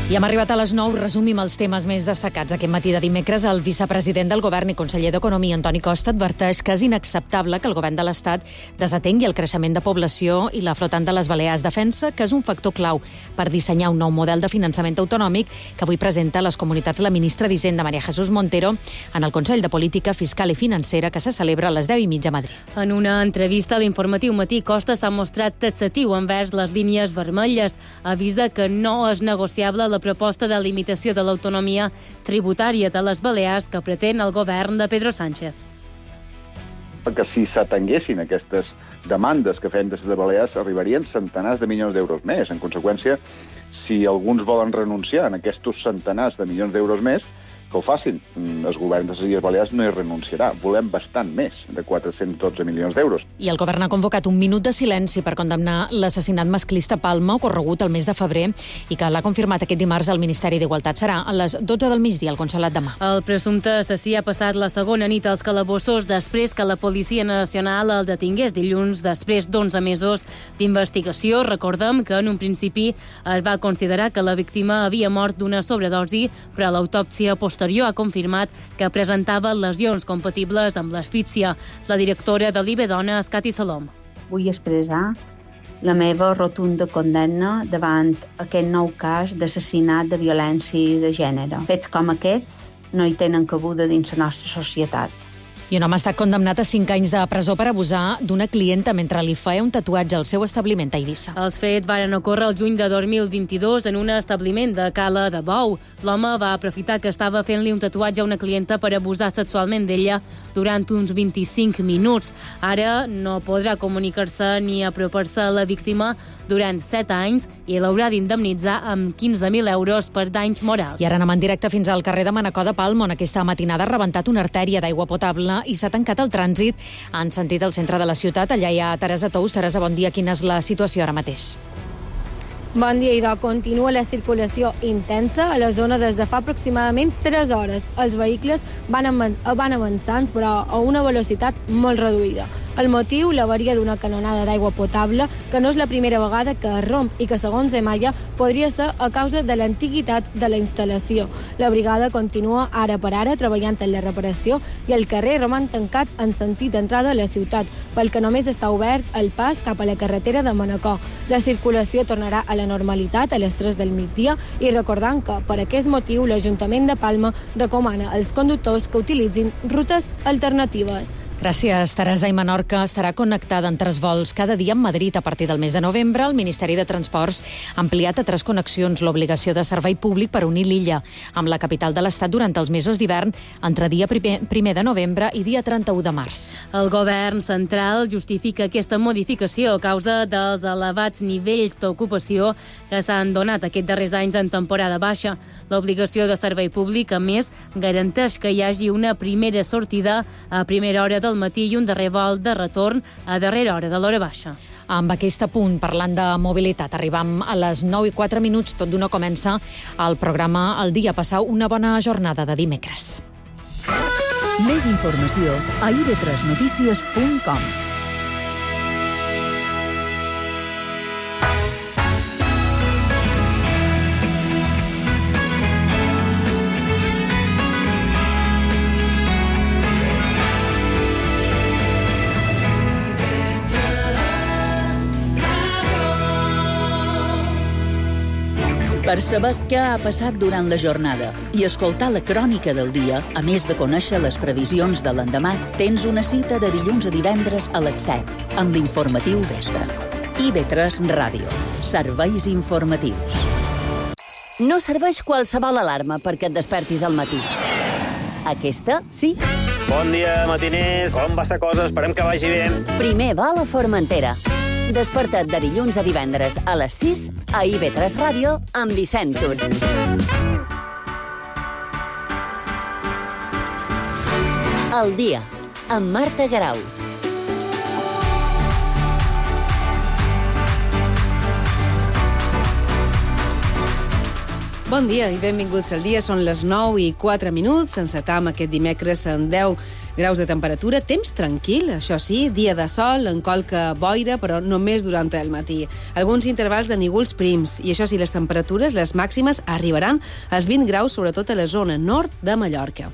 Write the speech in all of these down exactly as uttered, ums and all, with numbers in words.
I hem arribat a les nou, resumim els temes més destacats. Aquest matí de dimecres, el vicepresident del Govern i conseller d'Economia, Antoni Costa, adverteix que és inacceptable que el Govern de l'Estat desatengui el creixement de població i la flotant de les Balears. Defensa que és un factor clau per dissenyar un nou model de finançament autonòmic que avui presenta a les comunitats la ministra d'Hisenda, María Jesús Montero, en el Consell de Política Fiscal i Financera que se celebra a les deu i mitja a Madrid. En una entrevista a l'informatiu Matí, Costa s'ha mostrat taxatiu envers les línies vermelles. Avisa que no és negociable la proposta de limitació de l'autonomia tributària de les Balears que pretén el govern de Pedro Sánchez. Que si s'atenguessin aquestes demandes que feien des de Balears arribarien centenars de milions d'euros més. En conseqüència, si alguns volen renunciar a aquests centenars de milions d'euros més, que ho facin. El govern de les Illes Balears no hi renunciarà. Volem bastant més de quatre-cents dotze milions d'euros. I el govern ha convocat un minut de silenci per condemnar l'assassinat masclista a Palma ocorregut el mes de febrer i que l'ha confirmat aquest dimarts al Ministeri d'Igualtat. Serà a les dotze del migdia al Consolat de Mar. El presumpte assassí ha passat la segona nit als calabossos després que la Policia Nacional el detingués dilluns després d'onze mesos d'investigació. Recordem que en un principi es va considerar que la víctima havia mort d'una sobredosi, però l'autòpsia posterior ha confirmat que presentava lesions compatibles amb l'asfíxia. La directora de l'I B Dona és Cati Salom. Vull expressar la meva rotunda condemna davant aquest nou cas d'assassinat de violència de gènere. Fets com aquests no hi tenen cabuda dins la nostra societat. I un home ha estat condemnat a cinc anys de presó per abusar d'una clienta mentre li feia un tatuatge al seu establiment a Eivissa. Els fets varen ocórrer el juny de dos mil vint-i-dos en un establiment de Cala de Bou. L'home va aprofitar que estava fent-li un tatuatge a una clienta per abusar sexualment d'ella durant uns vint-i-cinc minuts. Ara no podrà comunicar-se ni apropar-se a la víctima durant set anys i l'haurà d'indemnitzar amb quinze mil euros per danys morals. I ara anem en directe fins al carrer de Manacor de Palma, on aquesta matinada ha rebentat una artèria d'aigua potable i s'ha tancat el trànsit en sentit al centre de la ciutat. Allà hi ha Teresa Tous. Teresa, bon dia. Quina és la situació ara mateix? Bon dia, idò. Continua la circulació intensa a la zona des de fa aproximadament tres hores. Els vehicles van, van avançant, però a una velocitat molt reduïda. El motiu, l'avaria d'una canonada d'aigua potable, que no és la primera vegada que es romp i que, segons Emaya, podria ser a causa de l'antiguitat de la instal·lació. La brigada continua ara per ara treballant en la reparació i el carrer roman tancat en sentit d'entrada a la ciutat, pel que només està obert el pas cap a la carretera de Manacor. La circulació tornarà a la normalitat a les tres del migdia i recordant que, per aquest motiu, l'Ajuntament de Palma recomana als conductors que utilitzin rutes alternatives. Gràcies, Teresa. I Menorca estarà connectada en tres vols cada dia amb Madrid. A partir del mes de novembre, el Ministeri de Transports ha ampliat a tres connexions l'obligació de servei públic per unir l'illa amb la capital de l'Estat durant els mesos d'hivern entre dia primer de novembre i dia trenta-u de març. El govern central justifica aquesta modificació a causa dels elevats nivells d'ocupació que s'han donat aquests darrers anys en temporada baixa. L'obligació de servei públic, a més, garanteix que hi hagi una primera sortida a primera hora del matí i un darrer vol de retorn a darrera hora de l'hora baixa. Amb aquest apunt, parlant de mobilitat, arribam a les nou i quatre minuts, tot d'una comença el programa El Dia. Passau una bona jornada de dimecres. Més informació a i be tres notícies punt com. Per saber què ha passat durant la jornada i escoltar la crònica del dia, a més de conèixer les previsions de l'endemà, tens una cita de dilluns a divendres a les set, amb l'informatiu Vespre. i be tres Ràdio. Serveis informatius. No serveix qualsevol alarma perquè et despertis al matí. Aquesta, sí. Bon dia, matiners. Com va la cosa? Esperem que vagi bé. Primer va a la Formentera. Desperta't de dilluns a divendres a les sis a i be tres Ràdio amb Vicent Tur. El dia, amb Marta Garau. Bon dia i benvinguts al dia. Són les nou i quatre minuts. Encetam aquest dimecres en deu graus de temperatura, temps tranquil, això sí, dia de sol, en qualque boira, però només durant el matí. Alguns intervals de núvols prims, i això sí, les temperatures, les màximes, arribaran als vint graus, sobretot a la zona nord de Mallorca.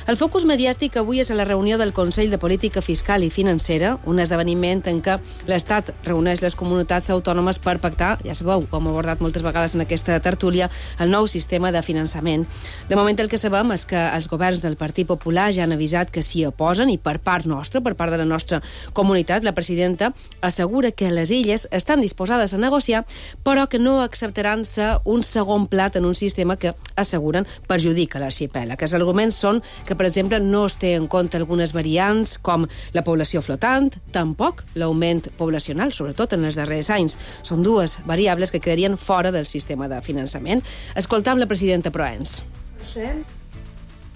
El focus mediàtic avui és a la reunió del Consell de Política Fiscal i Financera, un esdeveniment en què l'Estat reuneix les comunitats autònomes per pactar, ja sabeu, com hem abordat moltes vegades en aquesta tertúlia, el nou sistema de finançament. De moment el que sabem és que els governs del Partit Popular ja han avisat que s'hi oposen i per part nostra, per part de la nostra comunitat, la presidenta assegura que les illes estan disposades a negociar, però que no acceptaran ser un segon plat en un sistema que, asseguren, perjudica l'arxipèlag. Els arguments són que, per exemple, no es té en compte algunes variants com la població flotant, tampoc l'augment poblacional, sobretot en els darrers anys. Són dues variables que quedarien fora del sistema de finançament. Escoltam la presidenta Proens. Sí.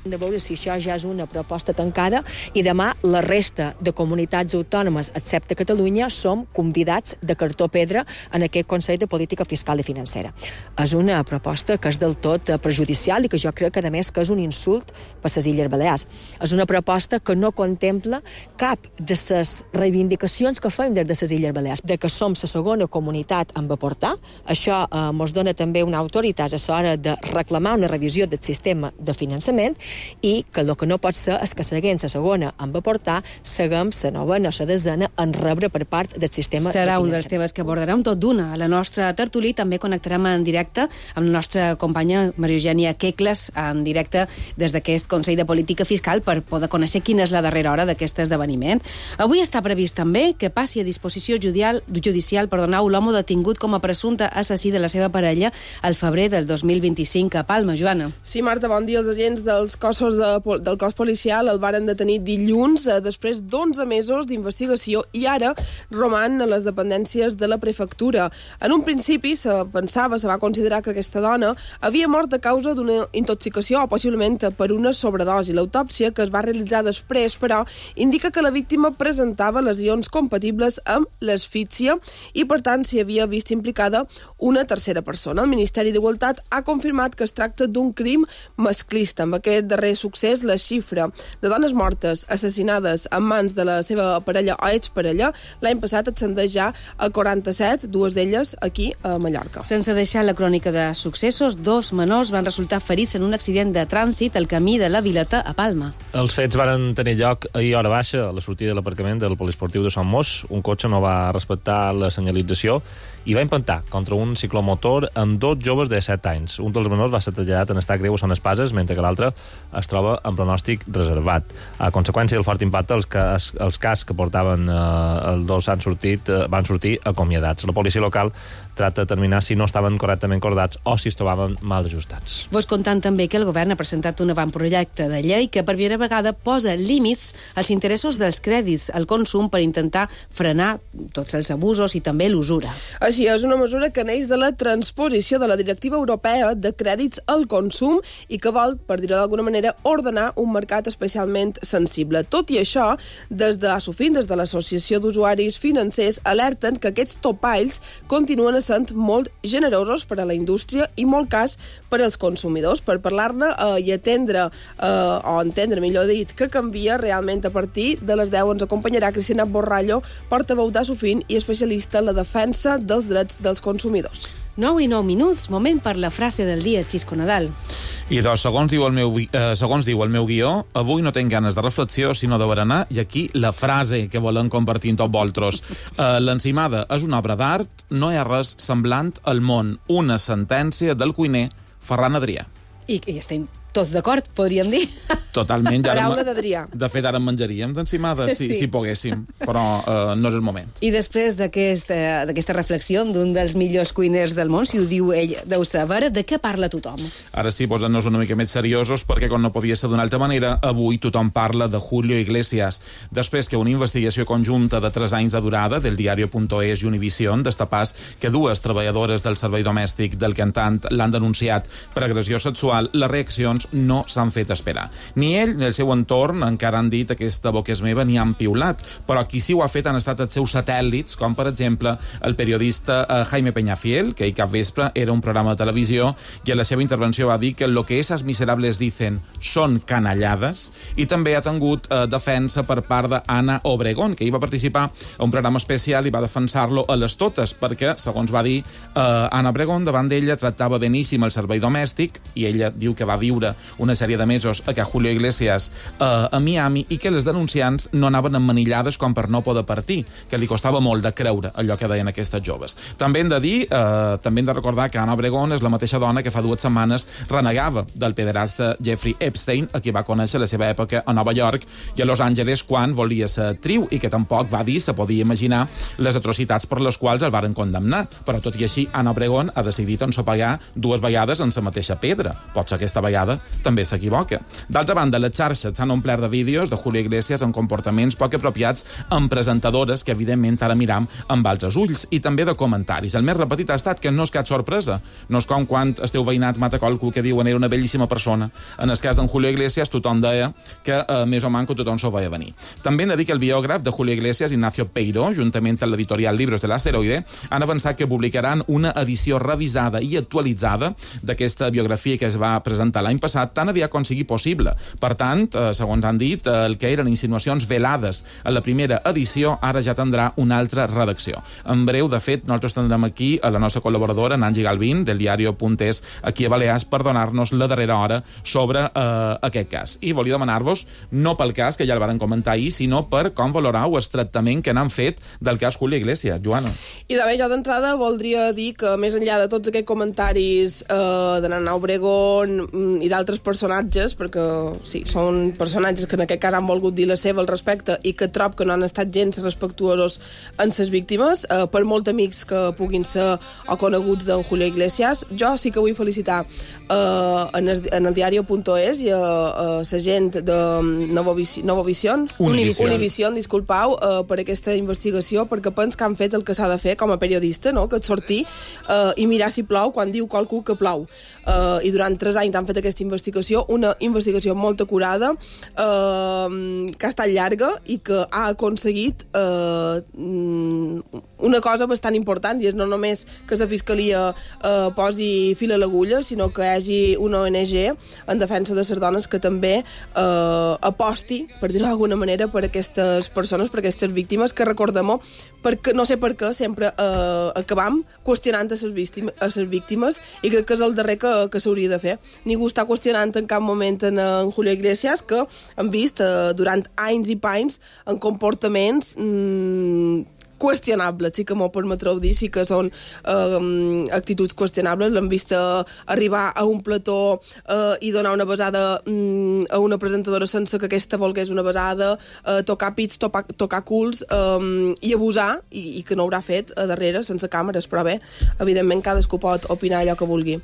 De veure si això ja és una proposta tancada i demà la resta de comunitats autònomes, excepte Catalunya, som convidats de cartó pedra en aquest Consell de Política Fiscal i Financera. És una proposta que és del tot perjudicial i que jo crec que, a més, que és un insult per les Illes Balears. És una proposta que no contempla cap de les reivindicacions que fem des de les Illes Balears, de que som la segona comunitat en aportar. Això eh, ens dona també una autoritat a l'hora de reclamar una revisió del sistema de finançament i que el que no pot ser és que seguint la segona en va portar, seguim la novena o la desena en rebre per part del sistema de finançament. Serà un dels temes que abordarem tot d'una. A la nostra tertúlia també connectarem en directe amb la nostra companya Maria Eugènia Quecles, en directe des d'aquest Consell de Política Fiscal, per poder conèixer quina és la darrera hora d'aquest esdeveniment. Avui està previst també que passi a disposició judicial, judicial perdoneu, l'home detingut com a presumpte assassí de la seva parella al febrer del dos mil vint-i-cinc a Palma. Joana. Sí, Marta, bon dia. Els agents dels cossos de, del cos policial el varen detenir dilluns eh, després d'onze mesos d'investigació i ara roman a les dependències de la prefectura. En un principi se pensava, se va considerar que aquesta dona havia mort a causa d'una intoxicació o possiblement per una sobredosi. L'autòpsia que es va realitzar després, però, indica que la víctima presentava lesions compatibles amb l'asfíxia i, per tant, s'hi havia vist implicada una tercera persona. El Ministeri d'Igualtat ha confirmat que es tracta d'un crim masclista. Amb aquest darrer succés, la xifra de dones mortes assassinades en mans de la seva parella o exparella l'any passat ascendeix ja a quaranta-set, dues d'elles aquí a Mallorca. Sense deixar la crònica de successos, dos menors van resultar ferits en un accident de trànsit al camí de la Vileta a Palma. Els fets varen tenir lloc ahir a hora baixa, a la sortida de l'aparcament del poliesportiu de Sant Mos. Un cotxe no va respectar la senyalització i va impactar contra un ciclomotor amb dos joves de set anys. Un dels menors va ser traslladat en estat greu a Sant Espases, mentre que l'altre es troba en pronòstic reservat. A conseqüència del fort impacte, els, cas, els cas que portaven eh, els dos han sortit, eh, van sortir acomiadats. La policia local tracta de determinar si no estaven correctament cordats o si es trobaven mal ajustats. Vos contant també que el govern ha presentat un avantprojecte de llei que per primera vegada posa límits als interessos dels crèdits al consum per intentar frenar tots els abusos i també l'usura. Així és, una mesura que neix de la transposició de la Directiva Europea de Crèdits al Consum i que vol, per dir-ho d'alguna manera, ordenar un mercat especialment sensible. Tot i això, des de Asofin, des de l'Associació d'Usuaris Financers, alerten que aquests topalls continuen sent molt generosos per a la indústria i molt cas per als consumidors. Per parlar-ne eh, i atendre, eh, o entendre, millor dit, que canvia realment a partir de les deu ens acompanyarà Cristina Borrallo, portaveu d'Asofin i especialista en la defensa dels drets dels consumidors. nou i nou minuts, moment per la frase del dia, Xisco Nadal. I dos, segons diu el meu, eh, segons diu el meu guió, avui no tenc ganes de reflexió, sinó de berenar, i aquí la frase que volem compartir amb tots vosaltres. Eh, L'Encimada és una obra d'art, no hi ha res semblant al món. Una sentència del cuiner Ferran Adrià. I, i estem tots d'acord, podríem dir. Totalment. Paraula d'Adrià. De fet, ara en menjaríem d'encimada, si, sí. si poguéssim, però uh, no és el moment. I després d'aquesta aquest, reflexió d'un dels millors cuiners del món, si ho diu ell, deu saber, de què parla tothom? Ara sí, posant-nos una mica més seriosos, perquè com no podia ser d'una altra manera, avui tothom parla de Julio Iglesias. Després que una investigació conjunta de tres anys de durada del diario.es i Univision destapàs que dues treballadores del servei domèstic del cantant l'han denunciat per agressió sexual, les reaccions investigacions no s'han fet esperar. Ni ell ni el seu entorn encara han dit aquesta boca és meva ni han piulat, però qui sí ho ha fet han estat els seus satèl·lits, com per exemple el periodista eh, Jaime Peñafiel, que ahir cap vespre era un programa de televisió i en la seva intervenció va dir que lo que esas miserables dicen són canallades, i també ha tingut eh, defensa per part d'Anna Obregón, que hi va participar a un programa especial i va defensar-lo a les totes, perquè, segons va dir eh, Anna Obregón, davant d'ella tractava beníssim el servei domèstic, i ella diu que va viure una sèrie de mesos a que Julio Iglesias eh, a Miami, i que les denunciants no anaven emmanillades com per no poder partir, que li costava molt de creure allò que deien aquestes joves. També hem de dir, eh, també hem de recordar que Anna Obregón és la mateixa dona que fa dues setmanes renegava del pederasta Jeffrey Epstein, a qui va conèixer la seva època a Nova York i a Los Angeles quan volia ser actriu, i que tampoc va dir se podia imaginar les atrocitats per les quals el varen condemnar. Però tot i així, Anna Obregón ha decidit ensopegar dues vegades en la mateixa pedra. Pot ser aquesta vegada també s'equivoca. D'altra banda, les xarxes s'han omplert de vídeos de Julio Iglesias amb comportaments poc apropiats amb presentadores que, evidentment, ara miram amb altres ulls, i també de comentaris. El més repetit ha estat que no és cap sorpresa. No és com quan esteu veïnat mata qualcú que diuen era una bellíssima persona. En el cas d'en Julio Iglesias, tothom deia que eh, més o manco tothom s'ho veia venir. També hem de dir que el biògraf de Julio Iglesias, Ignacio Peiró, juntament amb l'editorial Libros de l'Asteroide, han avançat que publicaran una edició revisada i actualitzada d'aquesta biografia que es va presentar l'any passat, tan aviat com sigui possible. Per tant, eh, segons han dit, eh, el que eren insinuacions velades a la primera edició ara ja tindrà una altra redacció. En breu, de fet, nosaltres tindrem aquí a la nostra col·laboradora, Nancy Galvín, del diario.es, aquí a Balears, per donar-nos la darrera hora sobre eh, aquest cas. I volia demanar-vos, no pel cas, que ja el van comentar ahir, sinó per com valorau el tractament que n'han fet del cas Julio Iglesias. Joana. I de bé, jo d'entrada voldria dir que, més enllà de tots aquests comentaris eh, de Nana Obregón mm, i d'altres personatges, perquè sí, són personatges que en aquest cas han volgut dir la seva al respecte i que trob que no han estat gens respectuosos en ses víctimes, eh, per molt amics que puguin ser o coneguts d'en Julio Iglesias, jo sí que vull felicitar eh, en, el, en el diario.es i a, a la gent de Novovision, Novovision Univision, Univision disculpau, eh, per aquesta investigació, perquè pens que han fet el que s'ha de fer com a periodista, no? Que et sortir eh, i mirar si plou quan diu qualcú que plou. Eh, I durant tres anys han fet aquesta investigació, una investigació molt acurada, eh, que ha estat llarga i que ha aconseguit eh, una cosa bastant important, i és no només que la Fiscalia eh, posi fil a l'agulla, sinó que hi hagi una O N G en defensa de les dones que també eh, aposti, per dir-ho d'alguna manera, per aquestes persones, per aquestes víctimes, que recordem-ho, perquè no sé per què sempre eh, acabam qüestionant a les víctimes, a les víctimes, i crec que és el darrer que, que s'hauria de fer. Ningú està qüestionant en cap moment en, en Julio Iglesias, que hem vist eh, durant anys i panys en comportaments mmm, qüestionables, sí que m'ho permetreu dir, sí que són eh, actituds qüestionables. L'hem vist eh, arribar a un plató eh, i donar una besada mm, a una presentadora sense que aquesta volgués una besada, eh, tocar pits, tocar, tocar culs eh, i abusar, i, i que no haurà fet a darrere, sense càmeres, però bé, evidentment cadascú pot opinar allò que vulgui.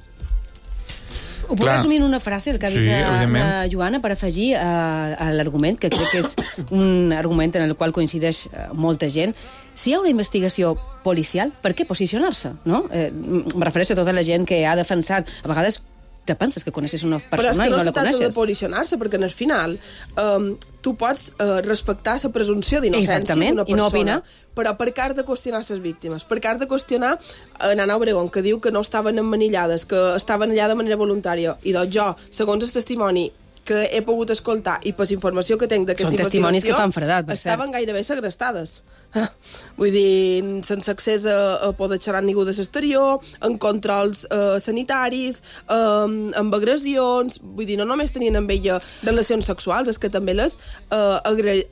Ho puc resumir en una frase, el que ha dit Sí, la, la Joana, per afegir a, a l'argument, que crec que és un argument en el qual coincideix molta gent. Si hi ha una investigació policial, per què posicionar-se? No? Eh, em refereixo a tota la gent que ha defensat, a vegades te penses que coneixes una persona i no la coneixes. Però és que no se tracta de posicionar-se, perquè en el final um, tu pots uh, respectar la presumpció d'innocència d'una persona, i no opina. Però per què has de qüestionar les víctimes? Per què has de qüestionar a Nana Obregón, que diu que no estaven emmanillades, que estaven allà de manera voluntària, i doncs jo, segons el testimoni que he pogut escoltar i per informació que tinc d'aquesta investigació... Són testimonis que fan fredat, per cert. Estaven gairebé segrestades. Vull dir, sense accés a, a poder xerrar ningú de l'exterior, en controls eh, sanitaris, eh, amb agressions... Vull dir, no només tenien amb ella relacions sexuals, és que també les eh,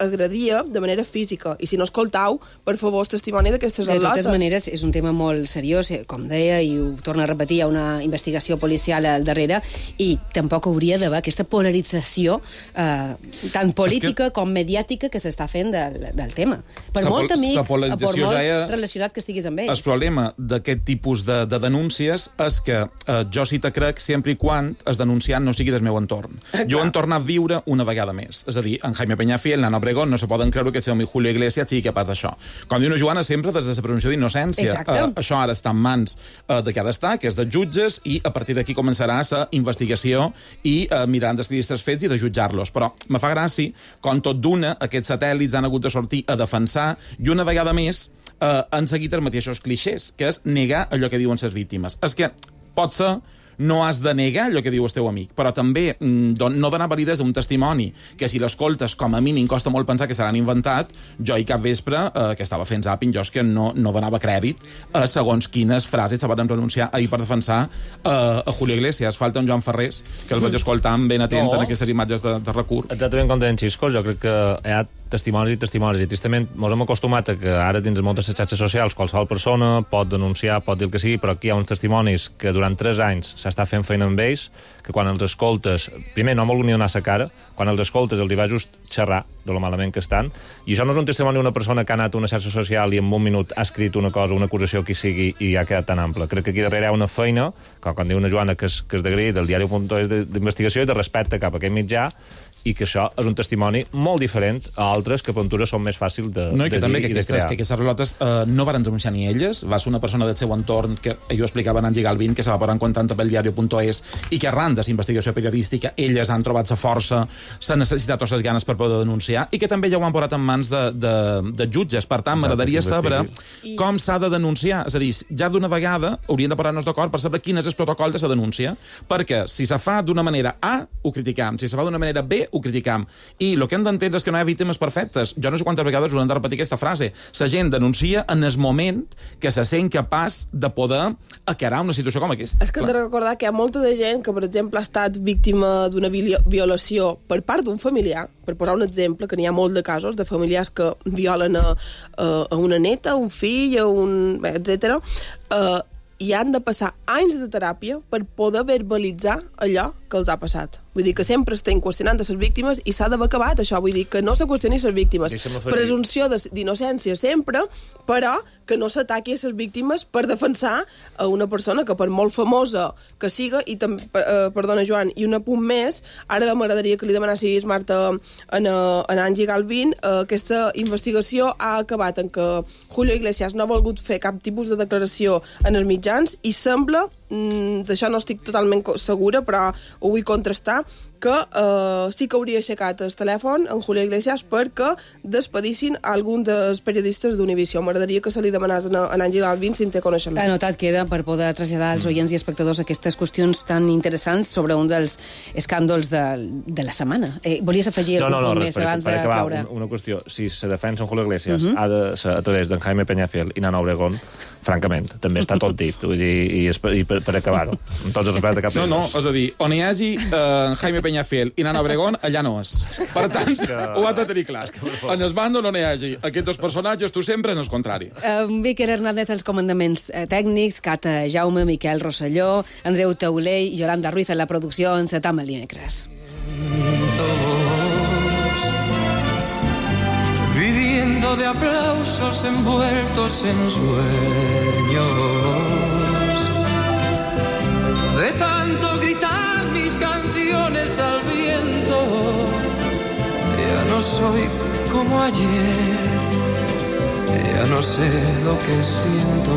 agredia de manera física. I si no escoltau, per favor, el testimoni d'aquestes al·lotes. De totes maneres, és un tema molt seriós, com deia, i ho torno a repetir, hi ha una investigació policial al darrere, i tampoc hauria d'haver aquesta polarització eh, tant política que... com mediàtica que s'està fent del, del tema. Per molt molt amic, la per polarització molt ja és... relacionat que estiguis amb ell. El problema d'aquest tipus de, de denúncies és que eh, jo sí te crec sempre i quan el denunciant no sigui del meu entorn. Ah, jo he tornat a viure una vegada més. És a dir, en Jaime Peñafiel, en Ana Obregón, no se poden creure que el seu amic Julio Iglesias sigui capaç d'això. Com diu una Joana, sempre des de la presumpció d'innocència. Eh, això ara està en mans eh, de cada estat, que és dels jutges, i a partir d'aquí començarà la investigació i eh, mirar d'escriure els fets i de jutjar-los. Però me fa gràcia, com tot d'una, aquests satèl·lits han hagut de sortir a defensar, i una vegada més eh, han seguit els mateixos clixés, que és negar allò que diuen les víctimes. És que pot ser no has de negar allò que diu el teu amic, però també mm, no donar validesa a un testimoni que si l'escoltes, com a mínim, costa molt pensar que se l'han inventat. Jo i cap vespre, eh, que estava fent zàping, jo és que no, no donava crèdit a segons quines frases se van pronunciar ahir per defensar eh, a Julio Iglesias. Falta un Joan Ferrés, que el vaig escoltar ben atent no. en aquestes imatges de, de recurs. Exactament com deien Xiscos, jo crec que hi ha testimonis i testimonis, i tristament ens hem acostumat a que ara dins moltes xarxes socials qualsevol persona pot denunciar, pot dir el que sigui, però aquí hi ha uns testimonis que durant tres anys s'està fent feina amb ells, que quan els escoltes, primer no han volgut ni donar sa cara, quan els escoltes els hi va just xerrar de lo malament que estan, i això no és un testimoni d'una persona que ha anat a una xarxa social i en un minut ha escrit una cosa, una acusació que sigui i ha quedat tan ample. Crec que aquí darrere hi ha una feina, com quan diu una Joana que és, que és d'agrair, del diari punt es d'investigació i de respecte cap a aquest mitjà, i que això és un testimoni molt diferent a altres que per ventura són més fàcils de, no, i que de també dir que i de aquestes, crear. que aquestes relotes eh, no varen denunciar ni elles, va ser una persona del seu entorn que ell ho explicava en Angie Galvin, que se va posar en contacte pel diari punt es i que arran de la investigació periodística elles han trobat la força, s'han necessitat les ganes per poder denunciar, i que també ja ho han posat en mans de, de, de jutges. Per tant, m'agradaria saber com s'ha de denunciar. És a dir, ja d'una vegada hauríem de posar-nos d'acord per saber quin és el protocol de la denúncia, perquè si se fa d'una manera A, ho criticam, si se fa d'una manera B, ho criticam. I el que hem d'entendre és que no hi ha víctimes perfectes. Jo no sé quantes vegades us hem de repetir aquesta frase. La gent denuncia en el moment que se sent capaç de poder acarar una situació com aquesta. És que hem de recordar que hi ha molta de gent que, per exemple, ha estat víctima d'una violació per part d'un familiar, per posar un exemple, que n'hi ha molt de casos de familiars que violen a, a, a una neta, a un fill, a un... etcètera, eh, i han de passar anys de teràpia per poder verbalitzar allò que els ha passat. Vull dir que sempre estem qüestionant a les víctimes i s'ha d'haver acabat això. Vull dir que no se qüestioni les víctimes. Presumpció d'innocència sempre, però que no s'ataqui a les víctimes per defensar a una persona que per molt famosa que siga, i també, eh, perdona Joan, i un apunt més, ara m'agradaria que li demanessis, Marta, en, en Angie Galvin, eh, aquesta investigació ha acabat en que Julio Iglesias no ha volgut fer cap tipus de declaració en els mitjans i sembla, mm, d'això no estic totalment segura, però ho vull contrastar, que eh, sí que hauria aixecat el telèfon en Julio Iglesias perquè despedissin algun dels periodistes d'Univisió. M'agradaria que se li demanés a en Àngel Alvin si en té coneixement. Anotat queda per poder traslladar als oients i espectadors aquestes qüestions tan interessants sobre un dels escàndols de, de la setmana. Eh, volies afegir no, algun no, no, punt no, més per, abans per de acabar, cloure? Una, una qüestió. Si se defensa en Julio Iglesias Uh-huh. ha de ser a través d'en Jaime Peñafiel i Nana Obregón, francament, també està tot dit. Vull dir, i, i per, per acabar-ho. Amb tots els respectes cap. No, no, és a dir, on hi hagi eh, Jaime Peñafiel i Nana Obregón, allà no és. Per tant, que... ho has de tenir clar. En el bàndol on hi hagi aquests dos personatges, tu sempre en el contrari. Um, Víquer Hernández als comandaments eh, tècnics, Cata Jaume, Miquel Rosselló, Andreu Taulé i Yolanda Ruiz en la producció. Encetam el dimecres. Viviendo de aplausos envueltos en sueños, de tanto gritar mis canciones al viento, ya no soy como ayer, ya no sé lo que siento,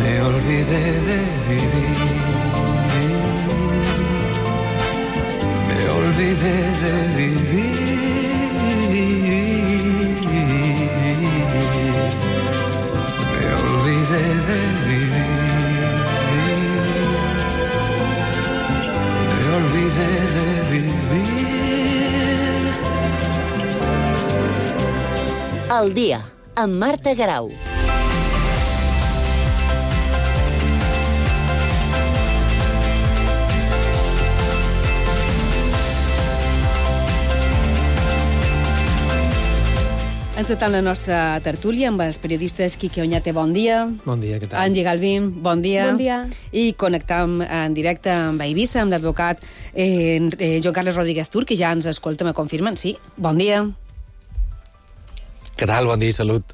me olvidé de vivir, me olvidé de vivir. Me olvidé de vivir, me olvidé de vivir. Al dia, amb Marta Garau. Encetant la nostra tertúlia amb els periodistes Quique Oñate, bon dia. Bon dia, què tal? Angie Galvin, bon dia. Bon dia. I connectam en directe amb Eivissa, amb l'advocat eh, eh, Joan Carles Rodríguez Tur, que ja ens escolta, me confirmen. Sí, bon dia. Què tal? Bon dia i salut.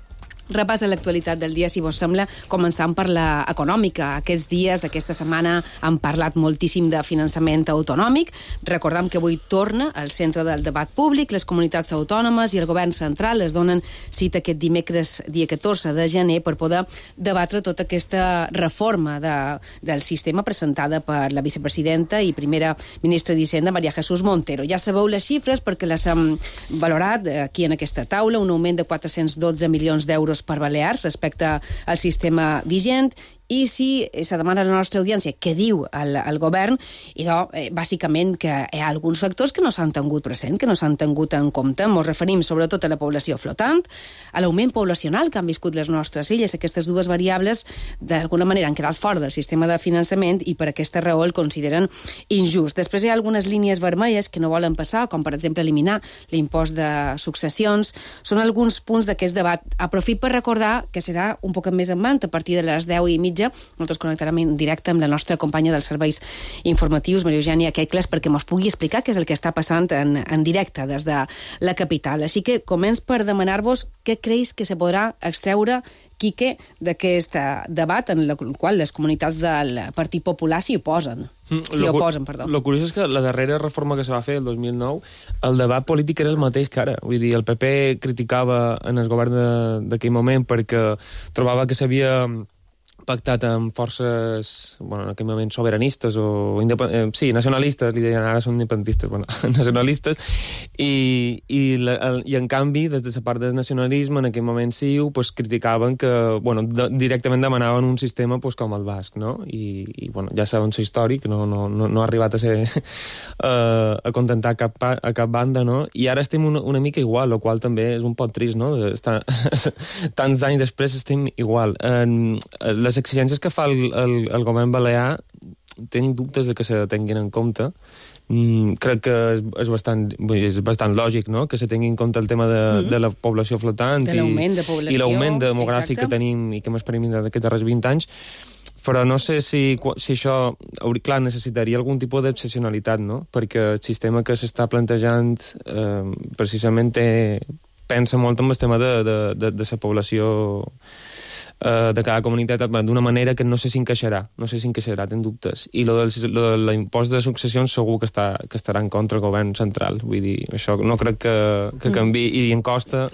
Repassa l'actualitat del dia, si vos sembla, començant per la econòmica. Aquests dies, aquesta setmana, han parlat moltíssim de finançament autonòmic. Recordem que avui torna al centre del debat públic. Les comunitats autònomes i el govern central es donen cita aquest dimecres, dia catorze de gener, per poder debatre tota aquesta reforma de, del sistema presentada per la vicepresidenta i primera ministra d'Hisenda, María Jesús Montero. Ja sabeu les xifres perquè les hem valorat aquí en aquesta taula, un augment de quatre-cents dotze milions d'euros per Balears respecte al sistema vigent. I si se demana a la nostra audiència què diu el, el govern, i doncs, eh, bàsicament que hi ha alguns factors que no s'han tingut present, que no s'han tingut en compte. Ens referim sobretot a la població flotant, a l'augment poblacional que han viscut les nostres illes. Aquestes dues variables d'alguna manera han quedat fora del sistema de finançament i per aquesta raó el consideren injust. Després hi ha algunes línies vermelles que no volen passar, com per exemple eliminar l'impost de successions. Són alguns punts d'aquest debat. Aprofit per recordar que serà un poc més en mant a partir de les deu i mitja. Nosaltres connectarem en directe amb la nostra companya dels serveis informatius, Maria Eugènia Quecles, perquè mos pugui explicar què és el que està passant en, en directe des de la capital. Així que començ per demanar-vos què creus que se podrà extreure, Quique, d'aquest debat en el qual les comunitats del Partit Popular s'hi oposen. Mm, s'hi oposen, perdó. Lo curiós és que la darrera reforma que se va fer el dos mil nou, el debat polític era el mateix que ara. Vull dir, el P P criticava en el govern d'aquell moment perquè trobava que s'havia pactat amb forces, bueno, en aquell moment sobiranistes o independ... eh, sí, nacionalistes, li deien, ara són independentistes, bueno, nacionalistes, i, i, la, el, i en canvi, des de la part del nacionalisme, en aquell moment sí, pues, criticaven que, bueno, de, directament demanaven un sistema pues, com el basc, no? I, i bueno, ja saben la història, que no, no, no, no ha arribat a ser uh, a contentar cap, a cap banda, no? I ara estem una, una mica igual, el qual també és un poc trist, no? Estar, tants anys després estem igual. Uh, les Les exigències que fa el, el, el govern balear tinc dubtes de que se tinguin en compte. Mm, crec que és, és, bastant, és bastant lògic, no?, que se tingui en compte el tema de, mm-hmm. de la població flotant de l'augment de població, i l'augment demogràfic exacte. Que tenim i que hem experimentat aquests darrers vint anys, però no sé si, si això, clar, necessitaria algun tipus d'excepcionalitat, no?, perquè el sistema que s'està plantejant eh, precisament té, pensa molt en el tema de, de, de, de la població de cada comunitat d'una manera que no sé si encaixarà, no sé si encaixarà, ten dubtes. I lo del, lo de l'impost de successions segur que, està, que estarà en contra el govern central. Vull dir, això no crec que, que canvi. I en Costa,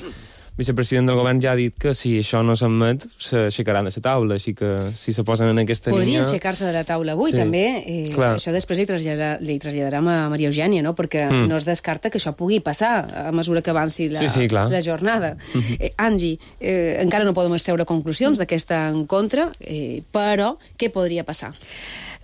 vicepresident del govern, ja ha dit que si això no s'admet, s'aixecaran de la taula, així que si se posen en aquesta Podria línia... Podria aixecar-se de la taula avui, sí. També. Eh, això després li, traslladar, li traslladarem a Maria Eugènia, no?, perquè mm. no es descarta que això pugui passar a mesura que avanci la, sí, sí, la jornada. Mm-hmm. Eh, Angie, eh, encara no podem extreure conclusions d'aquesta encontre, eh, però què podria passar?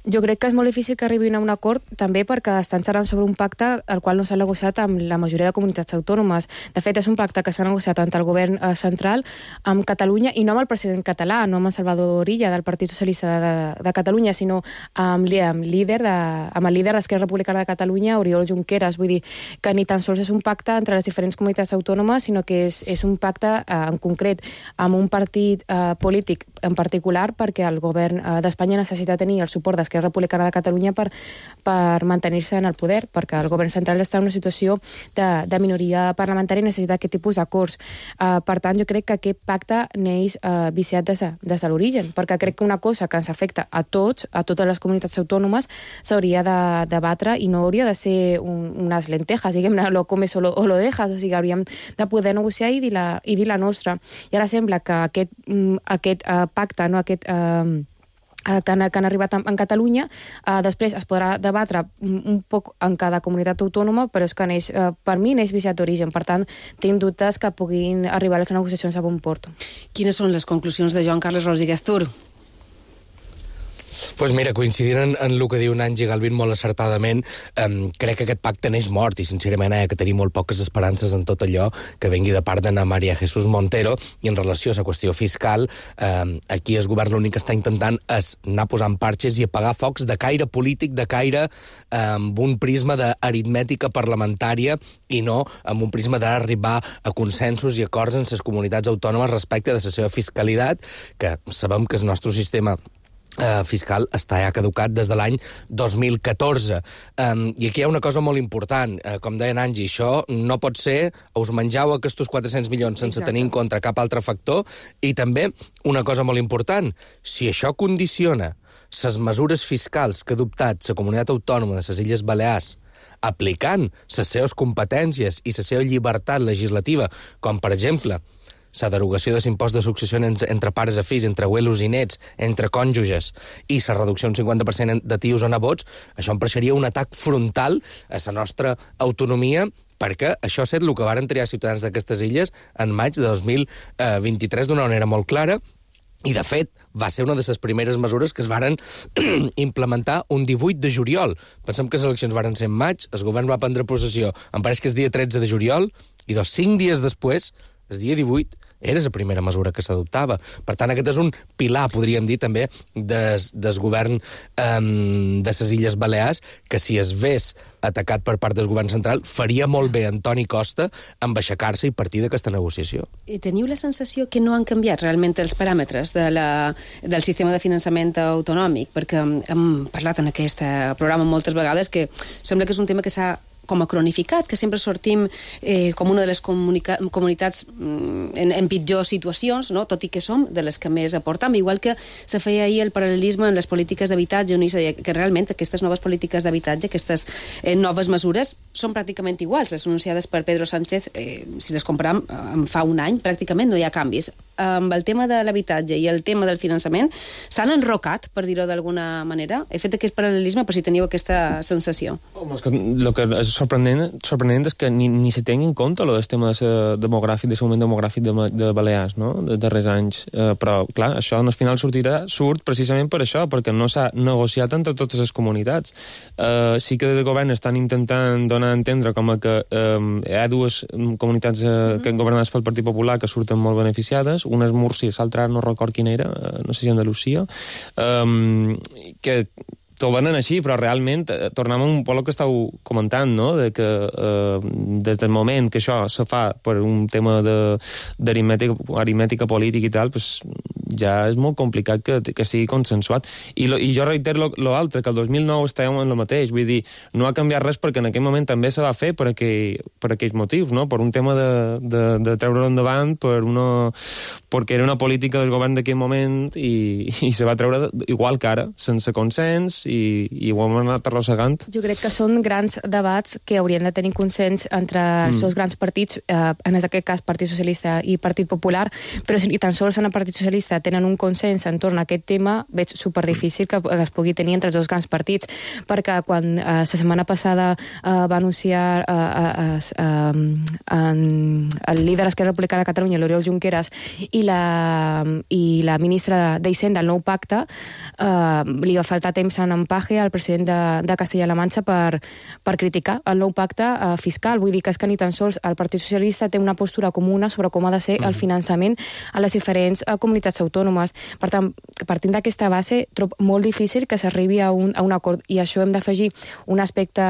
Jo crec que és molt difícil que arribin a un acord, també perquè estan xerrant sobre un pacte el qual no s'ha negociat amb la majoria de comunitats autònomes. De fet, és un pacte que s'ha negociat tant el govern eh, central amb Catalunya, i no amb el president català, no amb el Salvador Illa del Partit Socialista de, de Catalunya, sinó amb, amb, líder de, amb el líder d'Esquerra Republicana de Catalunya, Oriol Junqueras. Vull dir que ni tan sols és un pacte entre les diferents comunitats autònomes, sinó que és, és un pacte eh, en concret amb un partit eh, polític en particular, perquè el govern eh, d'Espanya necessita tenir el suport d'Esquerra Republicana de Catalunya per, per mantenir-se en el poder, perquè el govern central està en una situació de, de minoria parlamentària i necessita aquest tipus d'acords. Uh, per tant, jo crec que aquest pacte neix uh, viciat des de, des de l'origen, perquè crec que una cosa que ens afecta a tots, a totes les comunitats autònomes, s'hauria de debatre i no hauria de ser un, unes lentejas, diguem-ne, lo comes o lo, o lo dejas, o sigui, hauríem de poder negociar i dir la, i dir la nostra. I ara sembla que aquest, aquest uh, pacte, no aquest... Uh, que han, que han arribat en Catalunya, eh, després es podrà debatre un, un poc en cada comunitat autònoma, però és que neix, eh, per mi neix viciat d'origen. Per tant, tinc dubtes que puguin arribar a les negociacions a bon port. Quines són les conclusions de Joan Carles Rodríguez Tur? Pues mira, coincidint en, en el que diu Nancy Galvin molt acertadament, um, crec que aquest pacte neix mort i sincerament hi ha que tenir molt poques esperances en tot allò que vengui de part d'Ana María Jesús Montero. I en relació a la qüestió fiscal, um, aquí el govern l'únic que està intentant és anar posant parxes i apagar focs de caire polític, de caire um, amb un prisma d'aritmètica parlamentària i no amb un prisma d'arribar a consensos i acords en les comunitats autònomes respecte de la seva fiscalitat, que sabem que el nostre sistema Uh, fiscal està ja caducat des de l'any dos mil catorze. Um, I aquí hi ha una cosa molt important. Uh, com deia Angie, això no pot ser us menjau aquests quatre-cents milions sense Exacte. tenir en compte cap altre factor. I també una cosa molt important. Si això condiciona les mesures fiscals que ha adoptat la comunitat autònoma de les Illes Balears aplicant les seves competències i la seva llibertat legislativa, com per exemple la derogació de l'impost de successió entre pares a fills, entre abuelos i nets, entre cònjuges, i la reducció d'un cinquanta per cent de tios o nebots, això em pareixeria un atac frontal a la nostra autonomia, perquè això ha estat el que varen triar ciutadans d'aquestes illes en maig de dos mil vint-i-tres d'una manera molt clara, i, de fet, va ser una de les primeres mesures que es varen implementar un divuit de juliol. Pensem que les eleccions varen ser en maig, el govern va prendre possessió, em pareix que és dia tretze de juliol, i dos cinc dies després, el dia divuit, era la primera mesura que s'adoptava. Per tant, aquest és un pilar, podríem dir, també, des, des govern um, de les Illes Balears, que si es ves atacat per part del govern central, faria molt bé Antoni Costa amb aixecar-se i partir d'aquesta negociació. I teniu la sensació que no han canviat realment els paràmetres de la, del sistema de finançament autonòmic? Perquè hem parlat en aquest programa moltes vegades que sembla que és un tema que s'ha com a cronificat, que sempre sortim eh, com una de les comunitats mm, en, en pitjors situacions, no? Tot i que som de les que més aportam, igual que se feia ahir el paral·lelisme en les polítiques d'habitatge, on se deia que realment aquestes noves polítiques d'habitatge, aquestes eh, noves mesures, són pràcticament iguals. Les anunciades per Pedro Sánchez, eh, si les comparam en fa un any, pràcticament no hi ha canvis. Amb el tema de l'habitatge i el tema del finançament s'han enrocat, per dir-ho d'alguna manera? He fet aquest paral·lelisme per si teniu aquesta sensació. Home, és que el que és sorprenent, sorprenent és que ni, ni se tingui en compte el tema de demogràfic, de moment demogràfic de, de Balears, no?, de darrers anys. Eh, però, clar, això al final sortirà, surt precisament per això, perquè no s'ha negociat entre totes les comunitats. Eh, sí que des del govern estan intentant donar a entendre com a que eh, hi ha dues comunitats eh, mm-hmm. que governades pel Partit Popular que surten molt beneficiades, una és Múrcia, l'altra no record quina era, no sé si Andalusia, um, que t'ho venen així, però realment eh, tornem a un poc el que estàu comentant, no?, de que eh, des del moment que això se fa per un tema d'aritmètica aritmètica política i tal, pues, ja és molt complicat que, que sigui consensuat. I, lo, i jo reitero l'altre, que el dos mil nou estàvem en el mateix, vull dir, no ha canviat res perquè en aquell moment també se va fer per, aquell, per aquells motius, no?, per un tema de, de, de treure-ho endavant, per una, perquè era una política del govern d'aquell moment i, i se va treure igual que ara, sense consens, i, i ho hem anat arrossegant. Jo crec que són grans debats que haurien de tenir consens entre els mm. dos grans partits, eh, en aquest cas Partit Socialista i Partit Popular, però si ni tan sols en el Partit Socialista tenen un consens entorn a aquest tema, veig superdifícil que es pugui tenir entre els dos grans partits, perquè quan eh, la setmana passada eh, va anunciar eh, eh, eh, eh, el líder d'Esquerra Republicana de Catalunya, l'Oriol Junqueras, i la, i la ministra d'Hisenda, el nou pacte, eh, li va faltar temps en empaje al president de, de Castella-La Manxa per, per criticar el nou pacte eh, fiscal. Vull dir que és que ni tan sols el Partit Socialista té una postura comuna sobre com ha de ser mm. el finançament a les diferents eh, comunitats autònomes. Per tant, partint d'aquesta base, trobo molt difícil que s'arribi a, un, a un acord, i això hem d'afegir un aspecte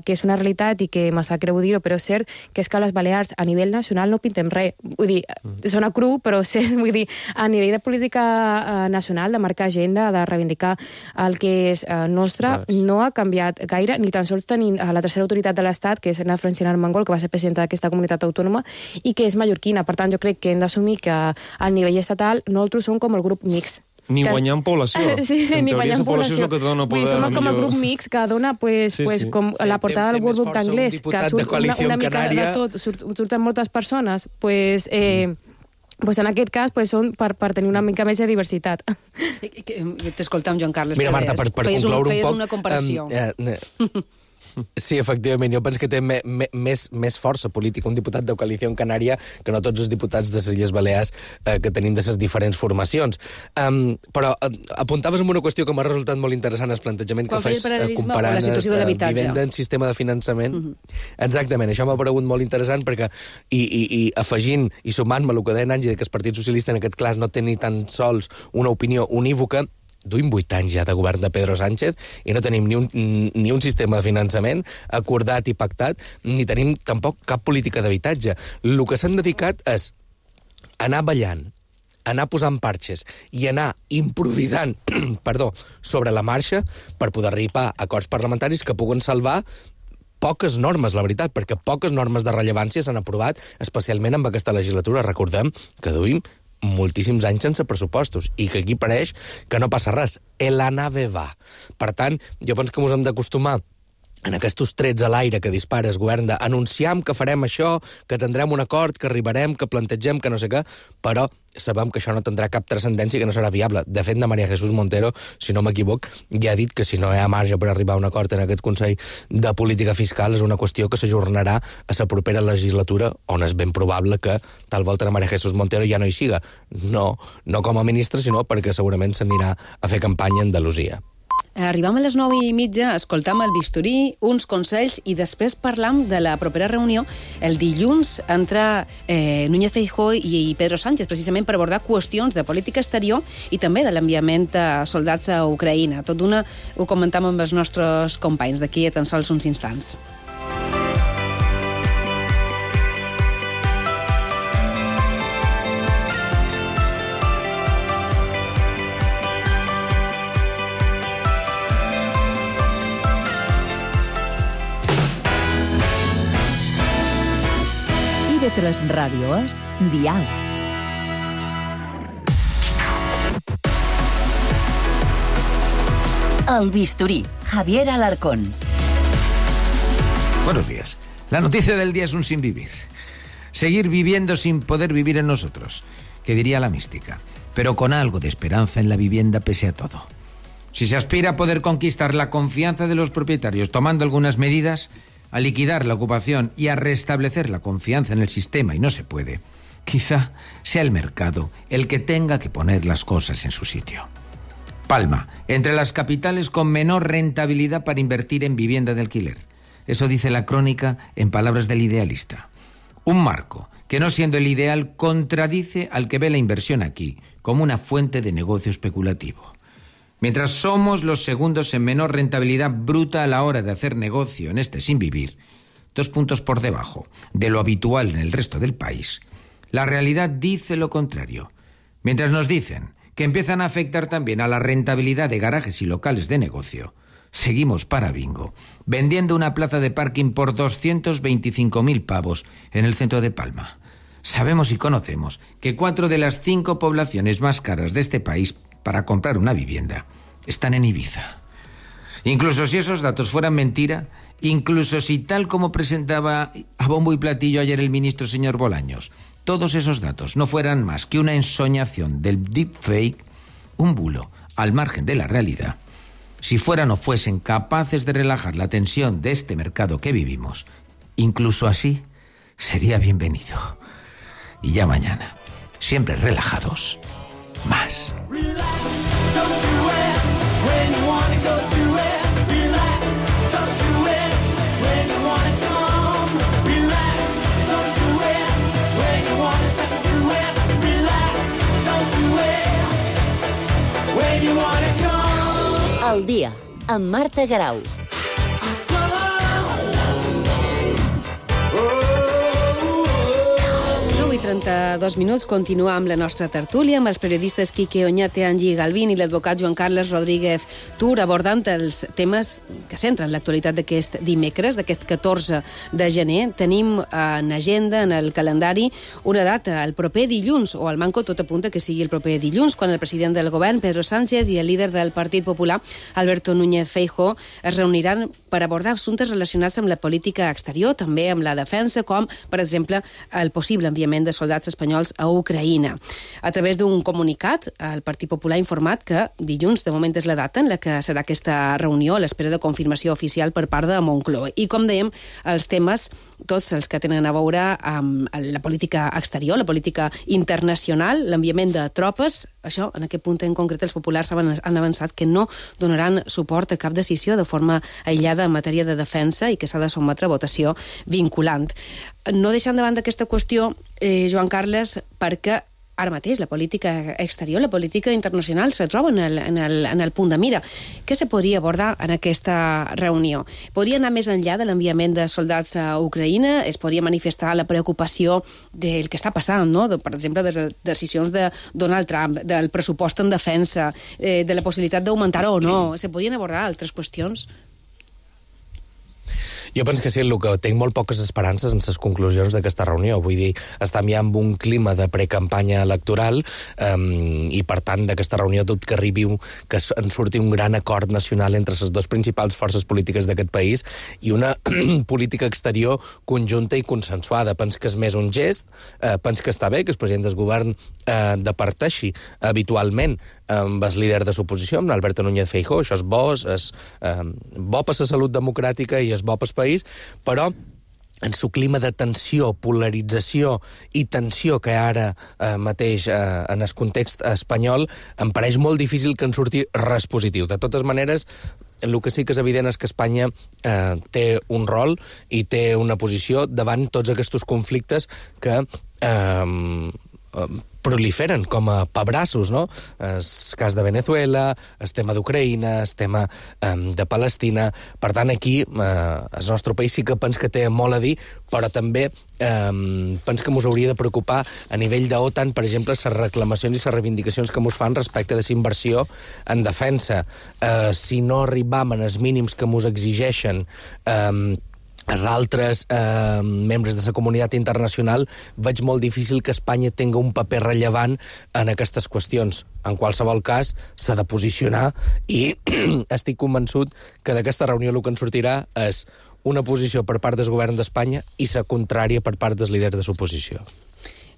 que és una realitat i que me sap greu dir-ho, però és cert, que és que a les Balears a nivell nacional no pintem res. Vull dir, mm. sona cru, però sí, vull dir, a nivell de política eh, nacional, de marcar agenda, de reivindicar el que és eh, nostre, no ha canviat gaire, ni tan sols tenint a la tercera autoritat de l'Estat, que és la Francina Armengol, que va ser presidenta d'aquesta comunitat autònoma i que és mallorquina. Per tant, jo crec que hem d'assumir que al nivell estatal nosaltres som com el grup mix. Ni que... guanyar en població. Sí, en ni guanyar en població. És el que te dona poder. Som com millor... el grup mix que dona pues, sí, pues, sí. com la portada del World Book d'anglès, que surt una, una mica Canària... de tot, surt, surten moltes persones, pues... Eh, mm. Pues en aquest cas pues, són per, per tenir una mica més de diversitat. T'escoltam, Joan Carles. Mira, Marta, per, per concloure un, un poc... una comparació. Um, eh, eh. Sí, efectivament, jo penso que té me, me, més, més força política un diputat de Coalició Canària que no tots els diputats de les Illes Balears eh, que tenim de les diferents formacions. Um, però eh, apuntaves en una qüestió que m'ha resultat molt interessant, el plantejament Quan que fes eh, comparant la situació de l'habitatge. Vivenda en sistema de finançament. Uh-huh. Exactament, això m'ha paregut molt interessant perquè, i, i, i afegint i sumant-me el que deia Angie, que el Partit Socialista en aquest cas no té ni tan sols una opinió unívoca, duim vuit anys ja de govern de Pedro Sánchez i no tenim ni un, ni un sistema de finançament acordat i pactat, ni tenim tampoc cap política d'habitatge. El que s'han dedicat és anar ballant anar posant parxes i anar improvisant perdó, sobre la marxa per poder arribar a acords parlamentaris que puguen salvar poques normes, la veritat, perquè poques normes de rellevància s'han aprovat, especialment amb aquesta legislatura. Recordem que duim moltíssims anys sense pressupostos i que aquí pareix que no passa res. La nave va. Per tant, jo penso que ens hem d'acostumar en aquests trets a l'aire que dispara el govern d'anunciam que farem això, que tindrem un acord, que arribarem, que plantegem, que no sé què, però sabem que això no tindrà cap transcendència i que no serà viable. De fet, de María Jesús Montero, si no m'equivoc, ja ha dit que si no hi ha marge per arribar a un acord en aquest Consell de Política Fiscal és una qüestió que s'ajornarà a la propera legislatura, on és ben probable que tal volta María Jesús Montero ja no hi siga. No, no com a ministra, sinó perquè segurament s'anirà a fer campanya a Andalusia. Arribam a les nou i mitja, escoltam el bisturí, uns consells i després parlam de la propera reunió el dilluns entre eh, Núñez Feijóo i Pedro Sánchez, precisament per abordar qüestions de política exterior i també de l'enviament de soldats a Ucraïna. Tot d'una ho comentam amb els nostres companys d'aquí a tan sols uns instants. I ve tres Ràdio és Dial. El bisturí, Javier Alarcón. Buenos días. La noticia del día es un sin vivir. Seguir viviendo sin poder vivir en nosotros, que diría la mística, pero con algo de esperanza en la vivienda pese a todo. Si se aspira a poder conquistar la confianza de los propietarios tomando algunas medidas, a liquidar la ocupación y a restablecer la confianza en el sistema y no se puede, quizá sea el mercado el que tenga que poner las cosas en su sitio. Palma, entre las capitales con menor rentabilidad para invertir en vivienda de alquiler. Eso dice la crónica en palabras del idealista. Un marco que, no siendo el ideal, contradice al que ve la inversión aquí como una fuente de negocio especulativo. Mientras somos los segundos en menor rentabilidad bruta a la hora de hacer negocio en este sin vivir, dos puntos por debajo de lo habitual en el resto del país, la realidad dice lo contrario. Mientras nos dicen que empiezan a afectar también a la rentabilidad de garajes y locales de negocio, seguimos para bingo, vendiendo una plaza de parking por doscientos veinticinco mil pavos en el centro de Palma. Sabemos y conocemos que cuatro de las cinco poblaciones más caras de este país para comprar una vivienda están en Ibiza. Incluso si esos datos fueran mentira, incluso si tal como presentaba a bombo y platillo ayer el ministro señor Bolaños, todos esos datos no fueran más que una ensoñación del deepfake, un bulo al margen de la realidad, si fueran o fuesen capaces de relajar la tensión de este mercado que vivimos, incluso así sería bienvenido. Y ya mañana, siempre relajados, más. Al dia, amb Marta Garau. i trenta-dos minuts, continua amb la nostra tertúlia amb els periodistes Quique Oñate, Angie Galvín i l'advocat Joan Carles Rodríguez Tur, abordant els temes que centren l'actualitat d'aquest dimecres, d'aquest catorze de gener. Tenim en agenda, en el calendari, una data, el proper dilluns, o al manco tot apunta que sigui el proper dilluns, quan el president del govern, Pedro Sánchez, i el líder del Partit Popular, Alberto Núñez Feijóo, es reuniran per abordar assumptes relacionats amb la política exterior, també amb la defensa, com, per exemple, el possible enviament de soldats espanyols a Ucraïna. A través d'un comunicat, el Partit Popular ha informat que dilluns, de moment, és la data en la que serà aquesta reunió, a l'espera de confirmació oficial per part de Moncloa. I, com dèiem, els temes, tots els que tenen a veure amb la política exterior, la política internacional, l'enviament de tropes, això, en aquest punt en concret, els populars han avançat que no donaran suport a cap decisió de forma aïllada en matèria de defensa i que s'ha de sotmetre a votació vinculant. No deixant de banda aquesta qüestió, eh, Joan Carles, perquè ara mateix la política exterior, la política internacional se troba en el, en el, en el punt de mira. Què se podria abordar en aquesta reunió? Podria anar més enllà de l'enviament de soldats a Ucraïna? Es podria manifestar la preocupació del que està passant, no? De, per exemple, de les decisions de Donald Trump, del pressupost en defensa, eh, de la possibilitat d'augmentar o no. Se podrien abordar altres qüestions? Jo penso que sí, el que tinc molt poques esperances en les conclusions d'aquesta reunió. Vull dir, estem ja en un clima de precampanya electoral um, i, per tant, d'aquesta reunió tot que arribi, que en surti un gran acord nacional entre les dues principals forces polítiques d'aquest país i una política exterior conjunta i consensuada. Penso que és més un gest, eh, penso que està bé que el president del govern eh, departeixi habitualment amb el líder de l'oposició, amb Alberto Núñez Feijóo. Això és bo, és eh, bo per la salut democràtica i és bo pel país, però en el clima de tensió, polarització i tensió que ara eh, mateix eh, en el context espanyol, em pareix molt difícil que en surti res positiu. De totes maneres, el que sí que és evident és que Espanya eh, té un rol i té una posició davant tots aquests conflictes que eh, proliferen com a pebrassos, no? El cas de Venezuela, el tema d'Ucraïna, el tema um, de Palestina. Per tant, aquí eh, el nostre país sí que penso que té molt a dir, però també um, penso que ens hauria de preocupar a nivell d'OTAN, per exemple, les reclamacions i les reivindicacions que ens fan respecte de la inversió en defensa. Uh, si no arribam en els mínims que ens exigeixen um, els altres eh, membres de la comunitat internacional, veig molt difícil que Espanya tingui un paper rellevant en aquestes qüestions. En qualsevol cas, s'ha de posicionar i estic convençut que d'aquesta reunió el que en sortirà és una posició per part del govern d'Espanya i la contrària per part dels líders de l'oposició.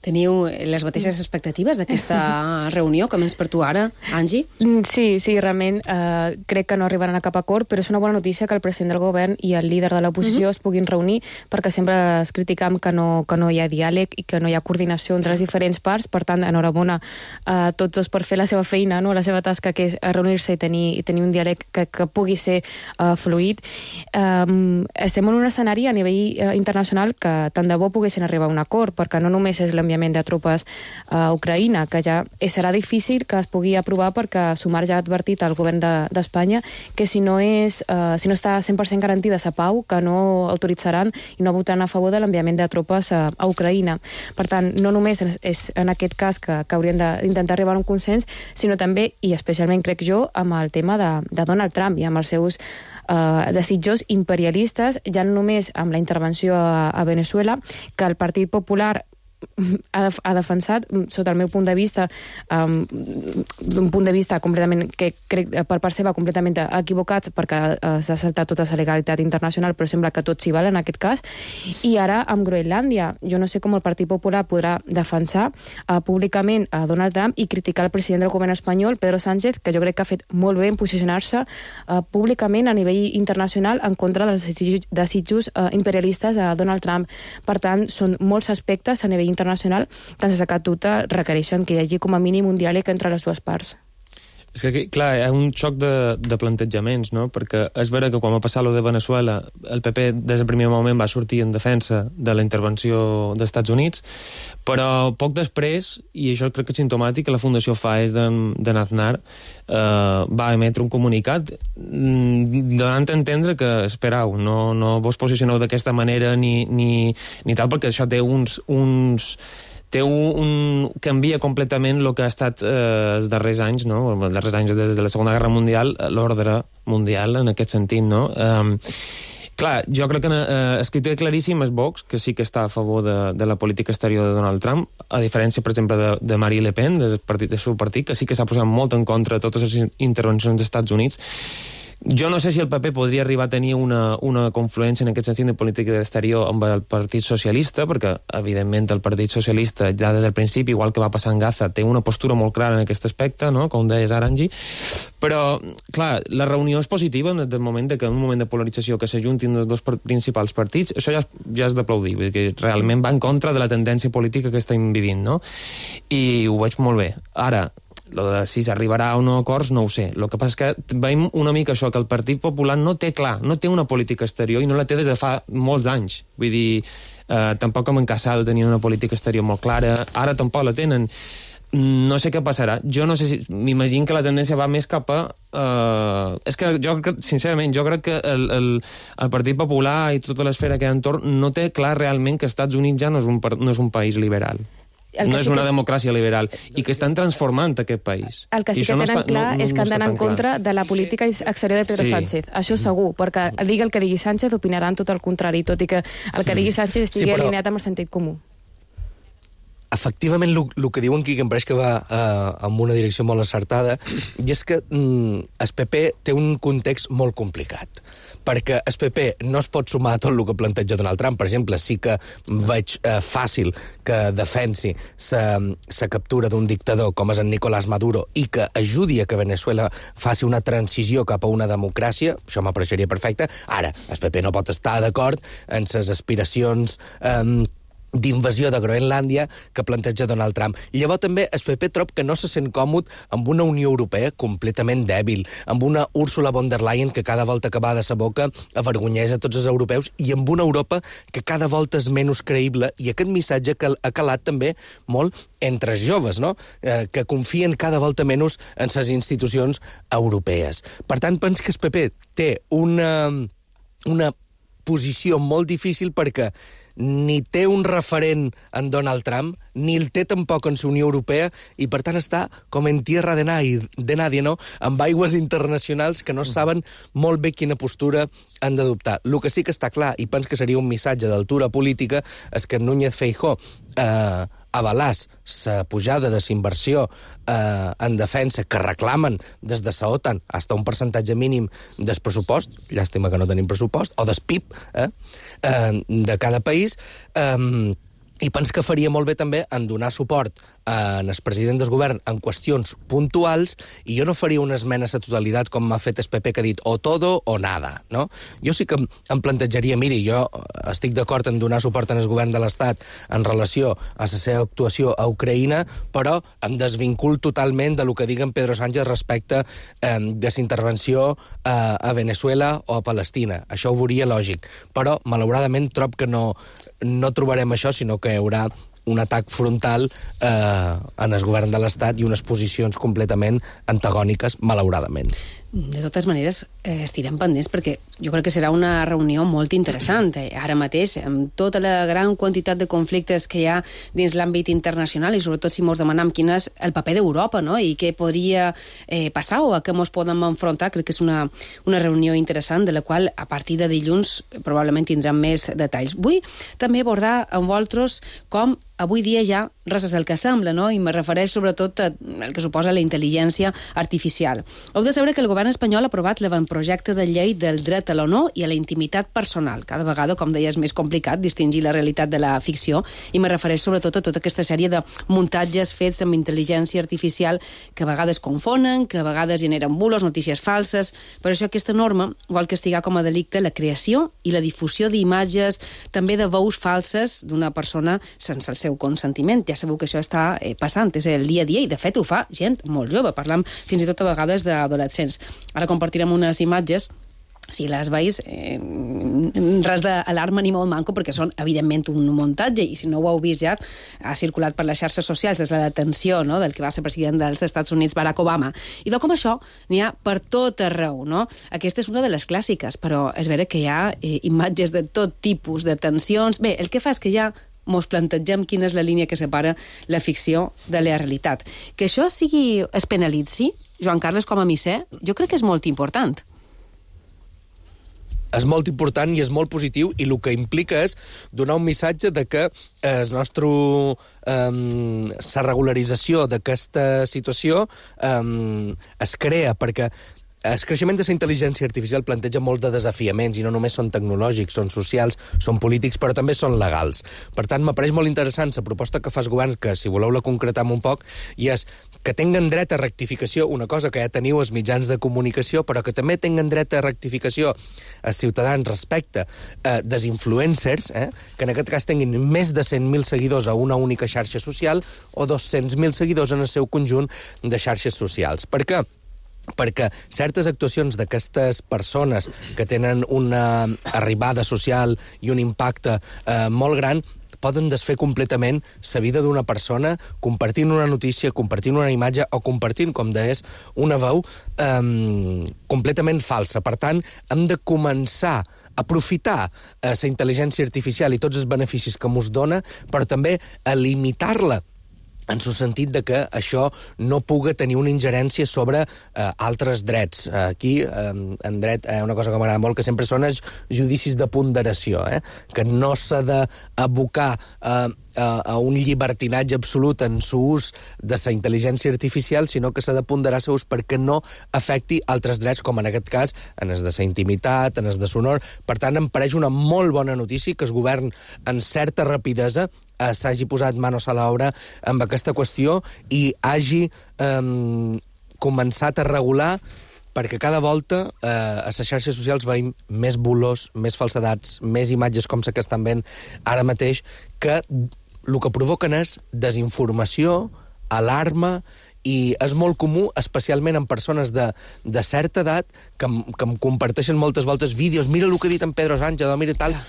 Teniu les mateixes expectatives d'aquesta reunió, com és per tu ara, Angie? Sí, sí, realment eh, crec que no arribaran a cap acord, però és una bona notícia que el president del govern i el líder de l'oposició uh-huh. es puguin reunir, perquè sempre es criticam que no, que no hi ha diàleg i que no hi ha coordinació entre les diferents parts. Per tant, enhorabona a tots dos per fer la seva feina, no? La seva tasca, que és reunir-se i tenir, i tenir un diàleg que, que pugui ser uh, fluid. Um, estem en un escenari a nivell uh, internacional que tant de bo poguessin arribar a un acord, perquè no només és l'enviament de tropes a Ucraïna, que ja serà difícil que es pugui aprovar perquè Sumar ja ha advertit al govern d'Espanya de, que si no, és, uh, si no està cent per cent garantida la pau, que no autoritzaran i no votaran a favor de l'enviament de tropes a, a Ucraïna. Per tant, no només és en aquest cas que, que haurien d'intentar arribar a un consens, sinó també, i especialment crec jo, amb el tema de, de Donald Trump i amb els seus Uh, desitjos imperialistes, ja no només amb la intervenció a, a Venezuela, que el Partit Popular ha, ha defensat, sota el meu punt de vista, um, d'un punt de vista completament, que crec per part seva completament equivocats, perquè uh, s'ha saltat tota la legalitat internacional, però sembla que tot s'hi val en aquest cas. I ara amb Groenlàndia, jo no sé com el Partit Popular podrà defensar uh, públicament a Donald Trump i criticar el president del govern espanyol, Pedro Sánchez, que jo crec que ha fet molt bé en posicionar-se uh, públicament a nivell internacional en contra dels desitjos uh, imperialistes a Donald Trump. Per tant, són molts aspectes a nivell internacional que sense cap dubte requereixen que hi hagi com a mínim un diàleg entre les dues parts. És que, clar, hi ha un xoc de, de plantejaments, no? Perquè és vera que quan va passar lo de Venezuela, el P P des del primer moment va sortir en defensa de la intervenció dels Estats Units, però poc després, i això crec que és simptomàtic, que la Fundació FAES d'Aznar eh, va emetre un comunicat donant a entendre que, esperau, no, no vos posicioneu d'aquesta manera ni, ni, ni tal, perquè això té uns... uns té un, un, canvia completament el que ha estat eh, els darrers anys, no? Els darrers anys des de la Segona Guerra Mundial, l'ordre mundial en aquest sentit, no? Um, clar, jo crec que eh, escriptor claríssim és Vox, que sí que està a favor de, de la política exterior de Donald Trump, a diferència, per exemple, de, de Marine Le Pen, del partit del seu partit, que sí que s'ha posat molt en contra de totes les intervencions dels Estats Units. Jo no sé si el P P podria arribar a tenir una, una confluència en aquest sentit de política exterior amb el Partit Socialista, perquè, evidentment, el Partit Socialista, ja des del principi, igual que va passar en Gaza, té una postura molt clara en aquest aspecte, no? Com deies ara, Angie. Però, clar, la reunió és positiva en el moment de que en un moment de polarització que s'ajuntin els dos principals partits, això ja, ja és d'aplaudir, perquè realment va en contra de la tendència política que estem vivint, no? I ho veig molt bé. Ara, lo de si s'arribarà o no a acords, no ho sé. El que passa és que veiem una mica això, que el Partit Popular no té clar, no té una política exterior i no la té des de fa molts anys. Vull dir, eh, tampoc amb en Casado tenien una política exterior molt clara, ara tampoc la tenen. no sé què passarà. Jo no sé si... M'imagino que la tendència va més cap a... Uh, és que jo, sincerament, jo crec que el, el, el Partit Popular i tota l'esfera que hi ha entorn no té clar realment que Estats Units ja no és un, no és un país liberal. No és una que... democràcia liberal, i que estan transformant aquest país. El que sí que tenen no està, clar no, no, és que han d'anar en contra clar. de la política exterior de Pedro sí. Sánchez. Això segur, perquè digui el que digui Sánchez opinaran tot el contrari, tot i que el que digui Sánchez estigui sí, però... alineat amb el sentit comú. Efectivament, el que diuen aquí, que em pareix que va eh, en una direcció molt acertada, i és que mm, el P P té un context molt complicat, perquè el P P no es pot sumar a tot el que planteja Donald Trump. Per exemple, sí que veig eh, fàcil que defensi la captura d'un dictador com és en Nicolás Maduro i que ajudi a que Venezuela faci una transició cap a una democràcia. Això m'apareixeria perfecte. Ara, el P P no pot estar d'acord en les aspiracions eh, d'invasió de Groenlàndia que planteja Donald Trump. I llavors també el P P trob que no se sent còmode amb una Unió Europea completament dèbil, amb una Ursula von der Leyen que cada volta que va de sa boca avergonyeix a tots els europeus, i amb una Europa que cada volta és menys creïble, i aquest missatge que ha calat també molt entre els joves, no? Eh, que confien cada volta menys en les institucions europees. Per tant, penso que el P P té una, una posició molt difícil, perquè ni té un referent en Donald Trump, ni el té tampoc en la Unió Europea, i per tant està com en tierra de nadie, de nadie, no? Amb aigües internacionals que no saben molt bé quina postura han d'adoptar. El que sí que està clar, i penso que seria un missatge d'altura política, és que Núñez Feijóo eh, avalàs la pujada de la inversió eh, en defensa que reclamen des de la OTAN fins a un percentatge mínim del pressupost, llàstima que no tenim pressupost, o del P I B eh, eh, de cada país, eh, i penso que faria molt bé també en donar suport al president del govern en qüestions puntuals, i jo no faria una esmena a la totalitat com m'ha fet el P P, que ha dit o todo o nada, no? Jo sí que em plantejaria, miri, jo estic d'acord en donar suport al govern de l'Estat en relació a la seva actuació a Ucraïna, però em desvincul totalment de lo que diguen Pedro Sánchez respecte eh, de la intervenció eh, a Venezuela o a Palestina. Això ho veuria lògic, però malauradament trob que no no trobarem això, sinó que hi haurà un atac frontal eh, en el govern de l'Estat i unes posicions completament antagòniques, malauradament. De totes maneres, eh, estirem pendents, perquè jo crec que serà una reunió molt interessant. Eh? Ara mateix, amb tota la gran quantitat de conflictes que hi ha dins l'àmbit internacional, i sobretot si mos demanem quin és el paper d'Europa, no? I què podria eh, passar o a què mos podem enfrontar, crec que és una, una reunió interessant, de la qual a partir de dilluns probablement tindrem més detalls. Vull també abordar amb vosaltres com avui dia ja res és el que sembla, no? I me refereix sobretot al que suposa la intel·ligència artificial. Heu de saber que el govern espanyol ha aprovat l'avantprojecte de llei del dret a l'honor i a la intimitat personal. Cada vegada, com deia, és més complicat distingir la realitat de la ficció, i me refereix sobretot a tota aquesta sèrie de muntatges fets amb intel·ligència artificial que a vegades confonen, que a vegades generen bulos, notícies falses. Per això aquesta norma vol castigar com a delicte la creació i la difusió d'imatges, també de veus falses d'una persona sense el seu consentiment. Ja sabeu que això està eh, passant, és el dia a dia, i de fet ho fa gent molt jove, parlam fins i tot a vegades d'adolescents. Ara compartirem unes imatges, si les veus, eh, res d'alarma ni molt manco, perquè són evidentment un muntatge, i si no ho heu vist ja, ha circulat per les xarxes socials, és la detenció, no?, del que va ser president dels Estats Units, Barack Obama. I de com això n'hi ha per tot arreu, no? Aquesta és una de les clàssiques, però és vera que hi ha eh, imatges de tot tipus, de tensions. Bé, el que fa és que ja mos plantegem quina és la línia que separa la ficció de la realitat. Que això sigui, es penalitzi, Joan Carles, com a misser, jo crec que és molt important. És molt important i és molt positiu, i el que implica és donar un missatge de que el nostre, um, la regularització d'aquesta situació um, es crea, perquè el creixement de la intel·ligència artificial planteja molt de desafiaments, i no només són tecnològics, són socials, són polítics, però també són legals. Per tant, m'apareix molt interessant la proposta que fa el govern, que si voleu la concretam un poc, i és que tinguen dret a rectificació, una cosa que ja teniu els mitjans de comunicació, però que també tinguen dret a rectificació els ciutadans respecte a dels influencers, eh, que en aquest cas tinguin més de cent mil seguidors a una única xarxa social o dos-cents mil seguidors en el seu conjunt de xarxes socials. Per què? Perquè certes actuacions d'aquestes persones que tenen una arribada social i un impacte eh, molt gran poden desfer completament la vida d'una persona compartint una notícia, compartint una imatge o compartint, com deies, una veu eh, completament falsa. Per tant, hem de començar a aprofitar eh, la intel·ligència artificial i tots els beneficis que mos dona, però també a limitar-la en el sentit de que això no puga tenir una ingerència sobre eh, altres drets. Aquí, eh, en dret, hi ha eh, una cosa que m'agrada molt, que sempre són els judicis de ponderació, eh? Que no s'ha d'abocar eh, a un llibertinatge absolut en l'ús de la intel·ligència artificial, sinó que s'ha de ponderar l'ús perquè no afecti altres drets, com en aquest cas, en els de la intimitat, en els de l'honor. Per tant, em pareix una molt bona notícia que el govern, en certa rapidesa, eh, s'hagi posat manos a l'obra amb aquesta qüestió i hagi eh, començat a regular, perquè cada volta eh, a les xarxes socials veiem més bulos, més falsedats, més imatges com la que estan veient ara mateix, que el que provoquen és desinformació, alarma, i és molt comú, especialment en persones de, de certa edat, que, que em comparteixen moltes voltes vídeos, mira el que ha dit en Pedro Sánchez, o mira tal,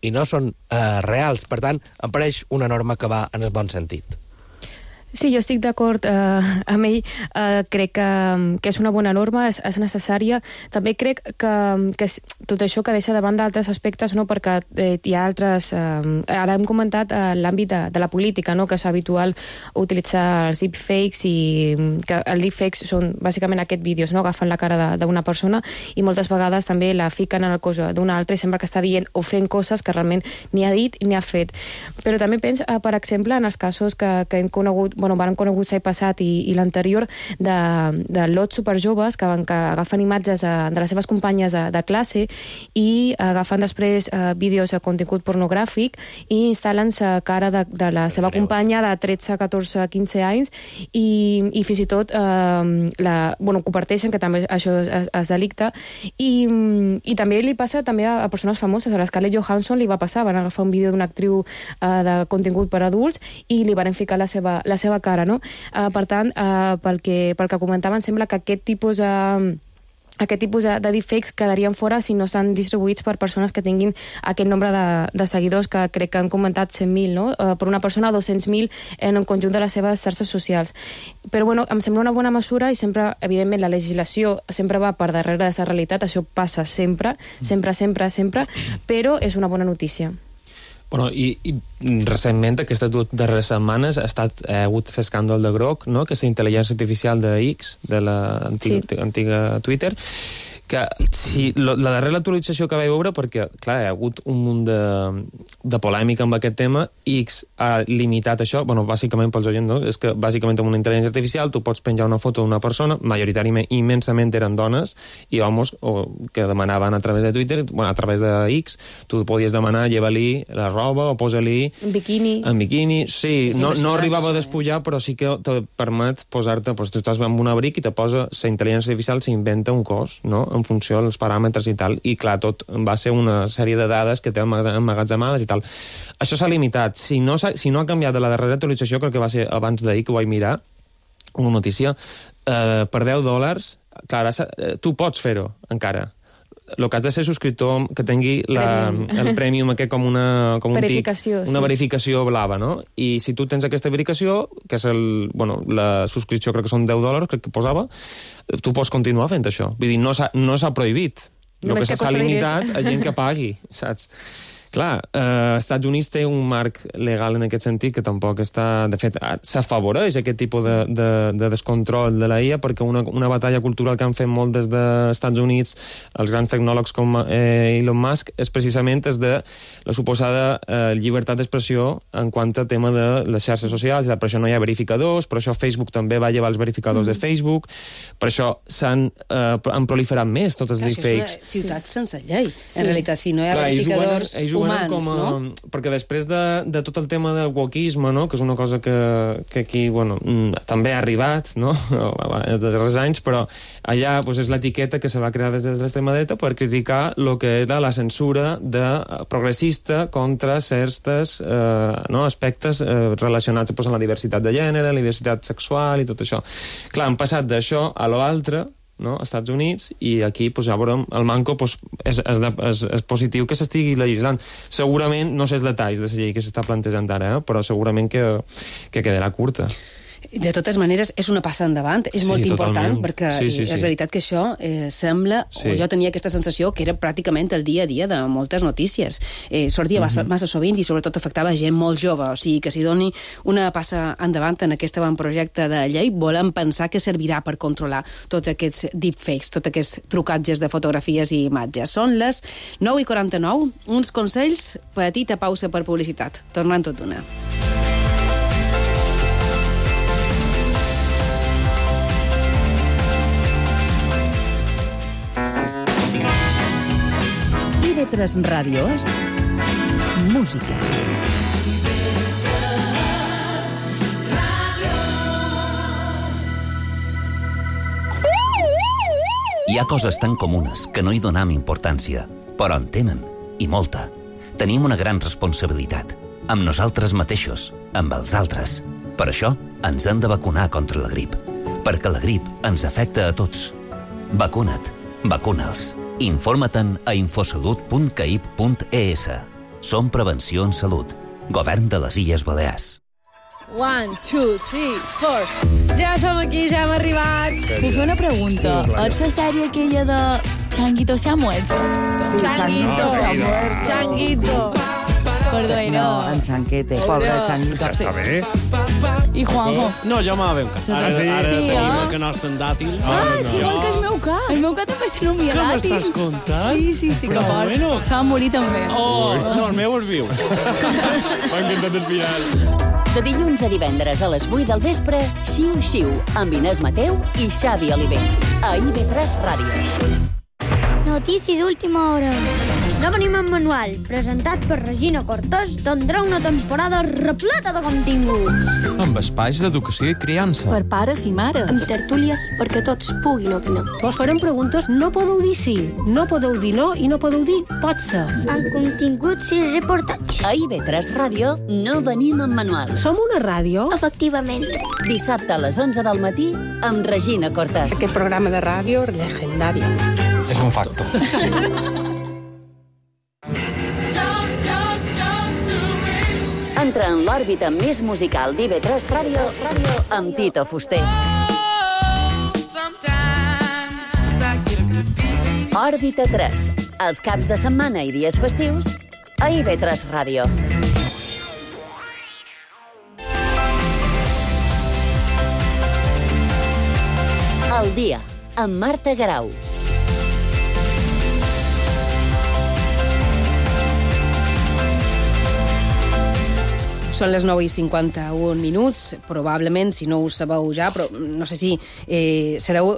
i no són eh, reals. Per tant, em pareix una norma que va en el bon sentit. Sí, jo estic d'acord eh, amb ell. Eh, crec que, que és una bona norma, és, és necessària. També crec que, que tot això que deixa de banda altres aspectes, no? Perquè eh, hi ha altres... Eh, ara hem comentat eh, l'àmbit de, de la política, no? Que és habitual utilitzar els deepfakes, i que els deepfakes són bàsicament aquests vídeos, no? Agafen la cara d'una persona i moltes vegades també la fiquen en el cos d'una altra i sembla que està dient o fent coses que realment ni ha dit ni ha fet. Però també penso, eh, per exemple, en els casos que, que hem conegut, bueno, van conegut l'any passat i, i l'anterior, de, de lots superjoves que, van, que agafen imatges de, de les seves companyes de, de classe i agafen després eh, vídeos de contingut pornogràfic i instal·len la cara de, de la seva companya de tretze, catorze, quinze anys i, i fins i tot eh, la, bueno, comparteixen, que també això es, es delicte, i, i també li passa també a, a persones famoses. A l'Scarlett Johansson li va passar, van agafar un vídeo d'una actriu eh, de contingut per adults i li van ficar la seva, la seva cara, no? Uh, per tant, uh, pel, que, pel que comentaven, sembla que aquest tipus de... Uh, aquest tipus de, de deepfakes quedarien fora si no estan distribuïts per persones que tinguin aquest nombre de, de seguidors, que crec que han comentat cent mil, no? Uh, per una persona, dos-cents mil en el conjunt de les seves xarxes socials. Però, bueno, em sembla una bona mesura i sempre, evidentment, la legislació sempre va per darrere de la realitat, això passa sempre, sempre, sempre, sempre, però és una bona notícia. Bueno, i, i recentment, aquestes dues darreres setmanes, ha estat eh, hagut l'escàndol de Grok, no? Que és la intel·ligència artificial de X, de l'antiga sí. antiga Twitter, que si lo, la darrera actualització que vaig veure, perquè, clar, hi ha hagut un munt de, de polèmica amb aquest tema, X ha limitat això, bueno, bàsicament pels oients, no? És que bàsicament amb una intel·ligència artificial tu pots penjar una foto d'una persona, majoritàriament, immensament eren dones i homes, o que demanaven a través de Twitter, bueno, a través de X, tu podies demanar, lleva-li la roba o posa-li... En biquini. En biquini, sí. No, no arribava a despullar, però sí que te permet posar-te... Pues, tu estàs amb un abric i te posa... La intel·ligència artificial s'inventa un cos, no?, en funció dels paràmetres i tal, i clar, tot va ser una sèrie de dades que té emmagatzemades i tal. Això s'ha limitat. Si no, si no ha canviat de la darrera actualització, crec que va ser abans d'ahir que ho vaig mirar, una notícia, eh, per deu dòlars, que ara eh, tu pots fer-ho, encara. El que has de ser subscriptor que tingui la, el Premium aquest com, una, com un tic, una sí. verificació blava, no? I si tu tens aquesta verificació, que és el, bueno, la subscripció crec que són deu dòlars, crec que posava, tu pots continuar fent això. Vull dir, no s'ha no previt. El que s'ha limitat a gent que pagui, saps? Clar, eh, Estats Units té un marc legal en aquest sentit que tampoc està... De fet, s'afavoreix aquest tipus de, de, de descontrol de la I A, perquè una, una batalla cultural que han fet molt des dels Estats Units els grans tecnòlegs com eh, Elon Musk és precisament des de la suposada eh, llibertat d'expressió en quant a tema de les xarxes socials. Per això no hi ha verificadors, per això Facebook també va llevar els verificadors mm. de Facebook, per això s'han eh, han proliferat més tots els deepfakes. Això és una ciutat sense llei. Sí. En realitat, si no hi ha Clar, verificadors... Ells humans, com a, no? Perquè després de, de tot el tema del wokisme, no? Que és una cosa que, que aquí, bueno, també ha arribat, no? De darrers anys, però allà pues, és l'etiqueta que se va crear des de l'extrema dreta per criticar el que era la censura de progressista contra certs eh, no? aspectes eh, relacionats pues, amb la diversitat de gènere, la diversitat sexual i tot això. Clar, han passat d'això a l'altre, no? als Estats Units, i aquí pues, ja veurem, el manco pues, és, és, de, és, és positiu que s'estigui legislant. Segurament, no sé els detalls de la llei que s'està plantejant ara, eh? però segurament que, que quedarà curta. De totes maneres, és una passa endavant, és Sí, molt important, totalment. perquè Sí, sí, és sí. veritat que això eh, sembla, Sí. o jo tenia aquesta sensació, que era pràcticament el dia a dia de moltes notícies. Eh, sortia massa, Mhm. massa sovint i sobretot afectava gent molt jove, o sigui que s'hi doni una passa endavant en aquest avantprojecte de llei, volem pensar que servirà per controlar tots aquests deepfakes, tots aquests trucatges de fotografies i imatges. Són les nou i quaranta-nou, uns consells, petita pausa per publicitat. Tornant tot d'una. I ve tres Ràdio és música. Hi ha coses tan comunes que no hi donam importància, però en tenen, i molta. Tenim una gran responsabilitat, amb nosaltres mateixos, amb els altres. Per això ens hem de vacunar contra la grip, perquè la grip ens afecta a tots. Vacuna't, vacuna'ls. Informa-te'n a infosalut punt caip punt es. Som Prevenció en Salut. Govern de les Illes Balears. One, two, three, four. Ja som aquí, ja hem arribat. Puc fer una pregunta? Sí, clar. És la sèrie aquella de Changuito se ha muerto? Sí, Changuito se ha muerto. Changuito. Perdó, No, en Chanquete, pobre Changuito. Està bé. I Juanjo. No, jo m'ha ben cat. Ara sí, ara Sí, tenim eh? el canasta en dàtil. Ah, igual que el meu cap. El meu cap també se n'ho Què dàtil. m'estàs contant? Sí, sí, sí, que Però fort. bueno. Se va morir també. Oh, no, el meu és viu. M'ha encantat el final. De dilluns a divendres a les vuit del vespre, Xiu Xiu, amb Inés Mateu i Xavi Olivell. A I V tres Ràdio. Notícies d'última hora. No venim en manual, presentat per Regina Cortés, tindrà una temporada repleta de continguts. Amb espais d'educació i criança. Per pares i mares. Amb tertúlies perquè tots puguin opinar. Vos farem preguntes, no podeu dir sí, no podeu dir no i no podeu dir pot ser. Amb continguts i reportatges. A I V tres Ràdio no venim en manual. Som una ràdio? Efectivament. Dissabte a les onze del matí amb Regina Cortés. Aquest programa de ràdio legendari. És un facto. Entra en l'òrbita més musical d'I V tres Ràdio amb Tito Fuster. Òrbita tres. Els caps de setmana i dies festius a I V tres Ràdio. El dia, amb Marta Garau. Són les nou i cinquanta-un minuts, probablement, si no ho sabeu ja, però no sé si eh, sereu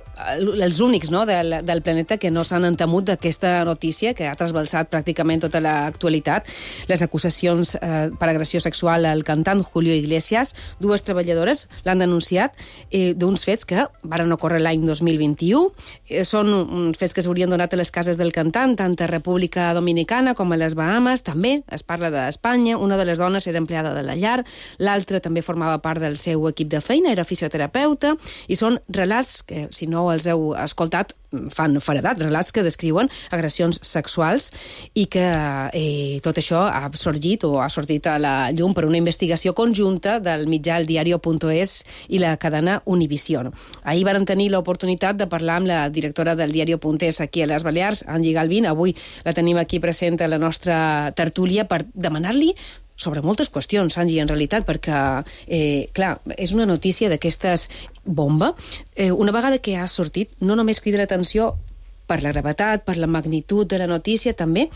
els únics, no?, del, del planeta que no s'han entemut d'aquesta notícia que ha trasbalsat pràcticament tota l'actualitat. Les acusacions eh, per agressió sexual al cantant Julio Iglesias, dues treballadores l'han denunciat eh, d'uns fets que varen ocórrer l'any dos mil vint-i-u. Eh, són uns fets que s'haurien donat a les cases del cantant, tant a República Dominicana com a les Bahamas. També es parla d'Espanya. Una de les dones era empleada de la llar, l'altra també formava part del seu equip de feina, era fisioterapeuta, i són relats que, si no els heu escoltat, fan feredat, relats que descriuen agressions sexuals i que eh, tot això ha sorgit o ha sortit a la llum per una investigació conjunta del mitjà El Diario punt es i la cadena Univision. Ahir vàrem tenir l'oportunitat de parlar amb la directora del Diario punt es aquí a les Balears, Angie Galvin. Avui la tenim aquí present a la nostra tertúlia per demanar-li sobre moltes qüestions, Angie, en realitat, perquè, eh, clar, és una notícia d'aquestes bomba. Eh, una vegada que ha sortit, no només crida l'atenció per la gravetat, per la magnitud de la notícia, també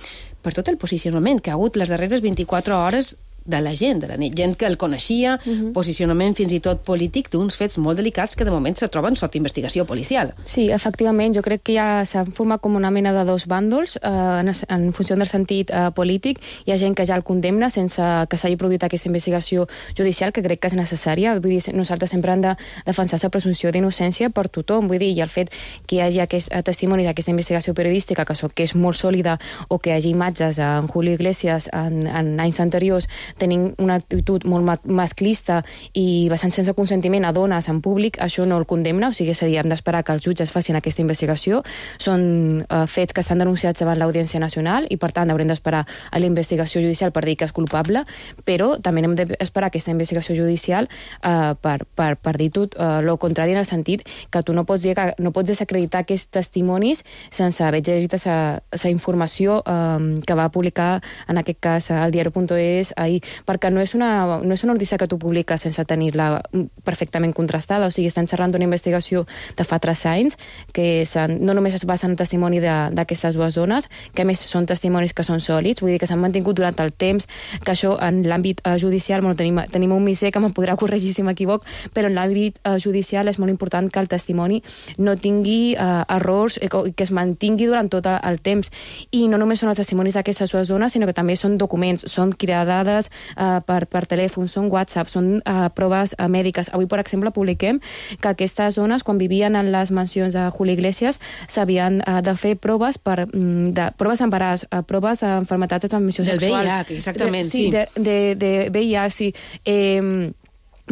per tot el posicionament que ha hagut les darreres vint-i-quatre hores de la gent, de la gent que el coneixia, uh-huh. posicionament fins i tot polític d'uns fets molt delicats que de moment se troben sota investigació policial. Sí, efectivament, jo crec que ja s'ha format com una mena de dos bàndols eh, en, en funció del sentit eh, polític. Hi ha gent que ja el condemna sense que s'hagi produït aquesta investigació judicial, que crec que és necessària. Vull dir, nosaltres sempre hem de defensar la presumpció d'innocència per tothom. Vull dir, i el fet que hi hagi aquest testimoni d'aquesta investigació periodística, que, so, que és molt sòlida, o que hi hagi imatges en Julio Iglesias en, en anys anteriors tenint una actitud molt ma masclista i bastant sense consentiment a dones en públic, això no el condemna, o sigui, és a dir, hem d'esperar que els jutges facin aquesta investigació. Són uh, fets que estan denunciats davant l'Audiència Nacional i, per tant, haurem d'esperar a la investigació judicial per dir que és culpable, però també hem d'esperar aquesta investigació judicial uh, per, per, per dir tot uh, el contrari, en el sentit que tu no pots, dir que, no pots desacreditar aquests testimonis sense haver llegit la informació um, que va publicar, en aquest cas, al diari punt es ahir, perquè no és una, no és una notícia que tu publiques sense tenir-la perfectament contrastada, o sigui, estan xerrant d'una investigació de fa tres anys, que no només es basa en testimoni d'aquestes dues dones, que a més són testimonis que són sòlids, vull dir que s'han mantingut durant el temps, que això en l'àmbit uh, judicial, bueno, tenim, tenim un misser que me'n podrà corregir si m'equivoc, però en l'àmbit uh, judicial és molt important que el testimoni no tingui uh, errors i que, que es mantingui durant tot el temps. I no només són els testimonis d'aquestes dues dones, sinó que també són documents, són cridades uh, per, per telèfon, són WhatsApp, són uh, proves uh, mèdiques. Avui, per exemple, publiquem que aquestes dones, quan vivien en les mansions de Julio Iglesias, s'havien uh, de fer proves per, de, proves d'embaràs, uh, proves d'enfermetats de transmissió del sexual. V I H, exactament, sí. sí. De, de, de V I H, sí. Eh,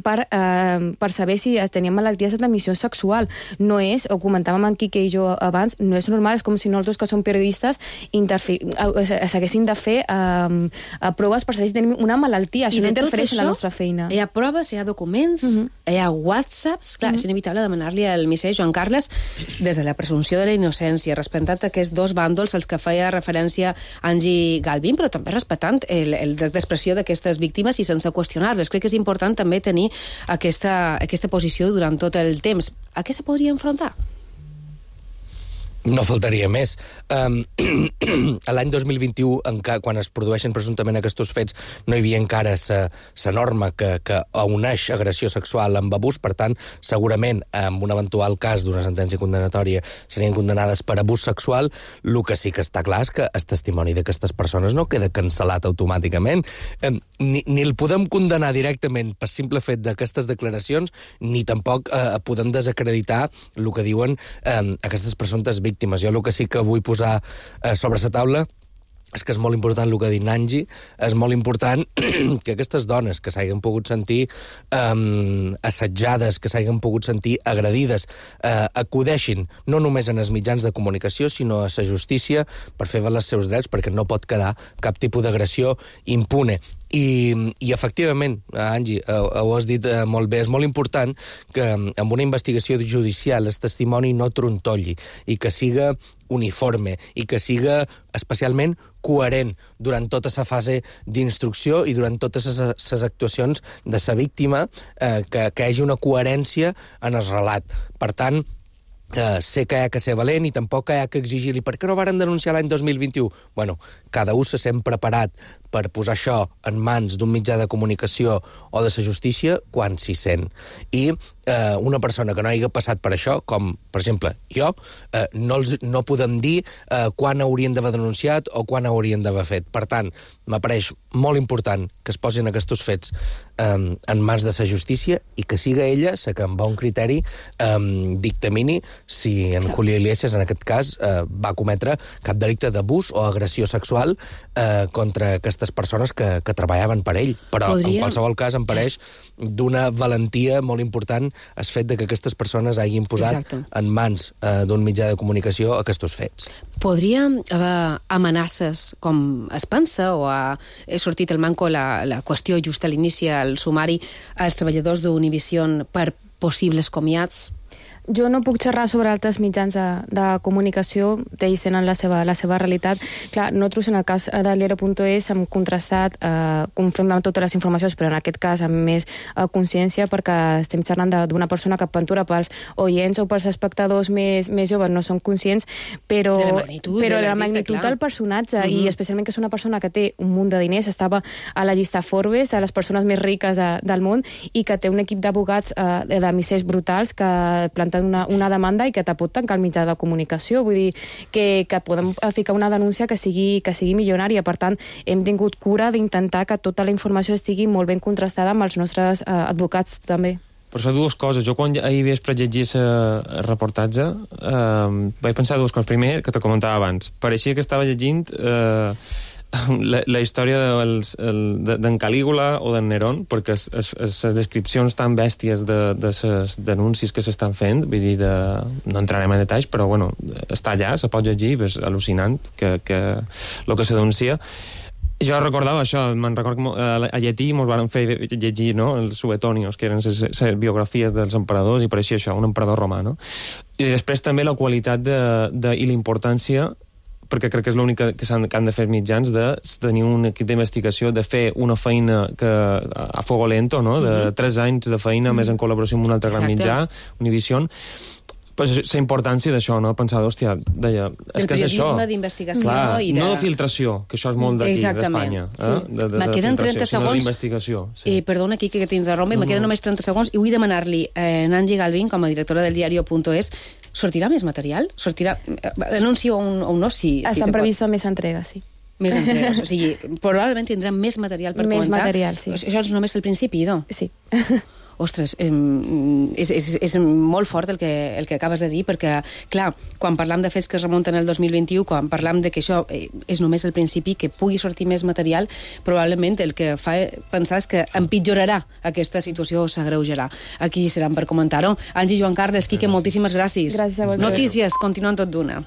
per, eh, per saber si tenien malalties de transmissió sexual. No és, ho comentàvem en Quique i jo abans, no és normal, és com si nosaltres que som periodistes s'haguessin de fer eh, proves per saber si tenim una malaltia. Això no interfereix en la nostra feina. Hi ha proves, hi ha documents, uh -huh. hi ha whatsapps, clar, uh -huh. és inevitable demanar-li al misser Joan Carles, des de la presumpció de la innocència, respectant aquests dos bàndols als que feia referència Angie Galvin, però també respectant el, el dret d'expressió d'aquestes víctimes i sense qüestionar-les. Crec que és important també tenir Aquesta, aquesta posició durant tot el temps. A què se podria enfrontar? No faltaria més. Um, L'any dos mil vint-i-u, quan es produeixen presumptament aquests fets, no hi havia encara la norma que, que uneix agressió sexual amb abús, per tant, segurament, en un eventual cas d'una sentència condenatòria, serien condenades per abús sexual. El que sí que està clar és que el testimoni d'aquestes persones no queda cancel·lat automàticament. Um, ni, ni el podem condenar directament per simple fet d'aquestes declaracions, ni tampoc uh, podem desacreditar el que diuen um, aquestes presumptes víctimes. víctimes. Jo el que sí que vull posar eh, sobre la taula és que és molt important el que ha dit Nanji, és molt important que aquestes dones que s'hagin pogut sentir eh, assetjades, que s'hagin pogut sentir agredides, eh, acudeixin no només en els mitjans de comunicació, sinó a la justícia per fer valer els seus drets, perquè no pot quedar cap tipus d'agressió impune. I, i efectivament, Angie, ho, ho has dit eh, molt bé, és molt important que amb una investigació judicial el testimoni no trontolli i que siga uniforme i que siga especialment coherent durant tota la fase d'instrucció i durant totes les actuacions de la víctima, eh, que, que hi hagi una coherència en el relat. Per tant, Uh, sé que hi ha que ser valent i tampoc hi ha que exigir-li per què no varen denunciar l'any dos mil vint-i-u? Bueno, cada un se sent preparat per posar això en mans d'un mitjà de comunicació o de la justícia quan s'hi sent. I uh, una persona que no hagi passat per això, com, per exemple, jo, uh, no, els, no podem dir uh, quan haurien d'haver denunciat o quan haurien d'haver fet. Per tant, m'apareix molt important que es posin aquests fets um, en mans de la justícia i que siga ella la que amb bon criteri um, dictamini si en Julio Iglesias, en aquest cas, eh, va cometre cap delicte d'abús o agressió sexual eh, contra aquestes persones que, que treballaven per ell. Però, Podria... en qualsevol cas, em pareix d'una valentia molt important el fet de que aquestes persones hagin posat Exacte. en mans eh, d'un mitjà de comunicació aquests fets. Podria haver amenaces, com es pensa, o ha sortit el manco la, la qüestió just a l'inici, al sumari, als treballadors d'Univision per possibles comiats? Jo no puc xerrar sobre altres mitjans de, de comunicació, ells tenen la seva, la seva realitat. Clar, nosaltres en el cas de l'Era punt es hem contrastat, eh, confirmem totes les informacions, però en aquest cas amb més eh, consciència, perquè estem xerrant d'una persona que aventura pels oients o pels espectadors més, més joves, no són conscients, però de la magnitud, però de la magnitud clar. del personatge, uh -huh. i especialment que és una persona que té un munt de diners, estava a la llista Forbes, de les persones més riques de, del món, i que té un equip d'abogats eh, de missers brutals que planten Una, una demanda i que te pot tancar el mitjà de comunicació. Vull dir que, que podem ficar una denúncia que sigui, que sigui milionària. Per tant, hem tingut cura d'intentar que tota la informació estigui molt ben contrastada amb els nostres eh, advocats també. Per això dues coses. Jo quan ahir vespre llegia el reportatge eh, vaig pensar dues coses. Primer, que te comentava abans, pareixia que estava llegint eh, la, la història d'en de, de Calígula o d'en Nerón, perquè les descripcions tan bèsties de, de les denúncies que s'estan fent, vull dir, de, no entrarem en detalls, però bueno, està allà, se pot llegir, és al·lucinant que, que el que se denuncia. Jo recordava això, me'n record que a llatí mos van fer llegir, no?, els suetonios, que eren les biografies dels emperadors, i pareixia això, un emperador romà, no? I després també la qualitat de, de, i la importància, perquè crec que és l'únic que, han, que han de fer els mitjans, de tenir un equip d'investigació, de fer una feina que, a fuego lento, no?, de mm-hmm. tres anys de feina, mm-hmm. més en col·laboració amb un altre gran mitjà, Univision. Pues la importància d'això, no? Pensar, hòstia, deia, és que és això. El periodisme d'investigació Clar, i de... no de filtració, que això és molt d'aquí, d'Espanya. Sí. Eh? De, de, me de queden trenta segons. D'investigació. Sí. I perdona, Quique, que t'interrompi, mm. me queden només trenta segons, i vull demanar-li a eh, Nancy Galvin, com a directora del diario.es, sortirà més material? Sortirà... Anuncio o un, o un no? Si, Estan si previstes més entregues, sí. Més entregues, o sigui, probablement tindrem més material per més comentar. Més material, sí. Això és només el principi, no? Sí. Ostres, eh, és, és, és molt fort el que, el que acabes de dir, perquè, clar, quan parlam de fets que es remunten al dos mil vint-i-u, quan parlam de que això eh, és només el principi, que pugui sortir més material, probablement el que fa pensar és que empitjorarà aquesta situació o s'agreujarà. Aquí seran per comentar-ho. Angie, Joan Carles, Quique, moltíssimes gràcies. Gràcies a vosaltres. Notícies, continuen tot d'una.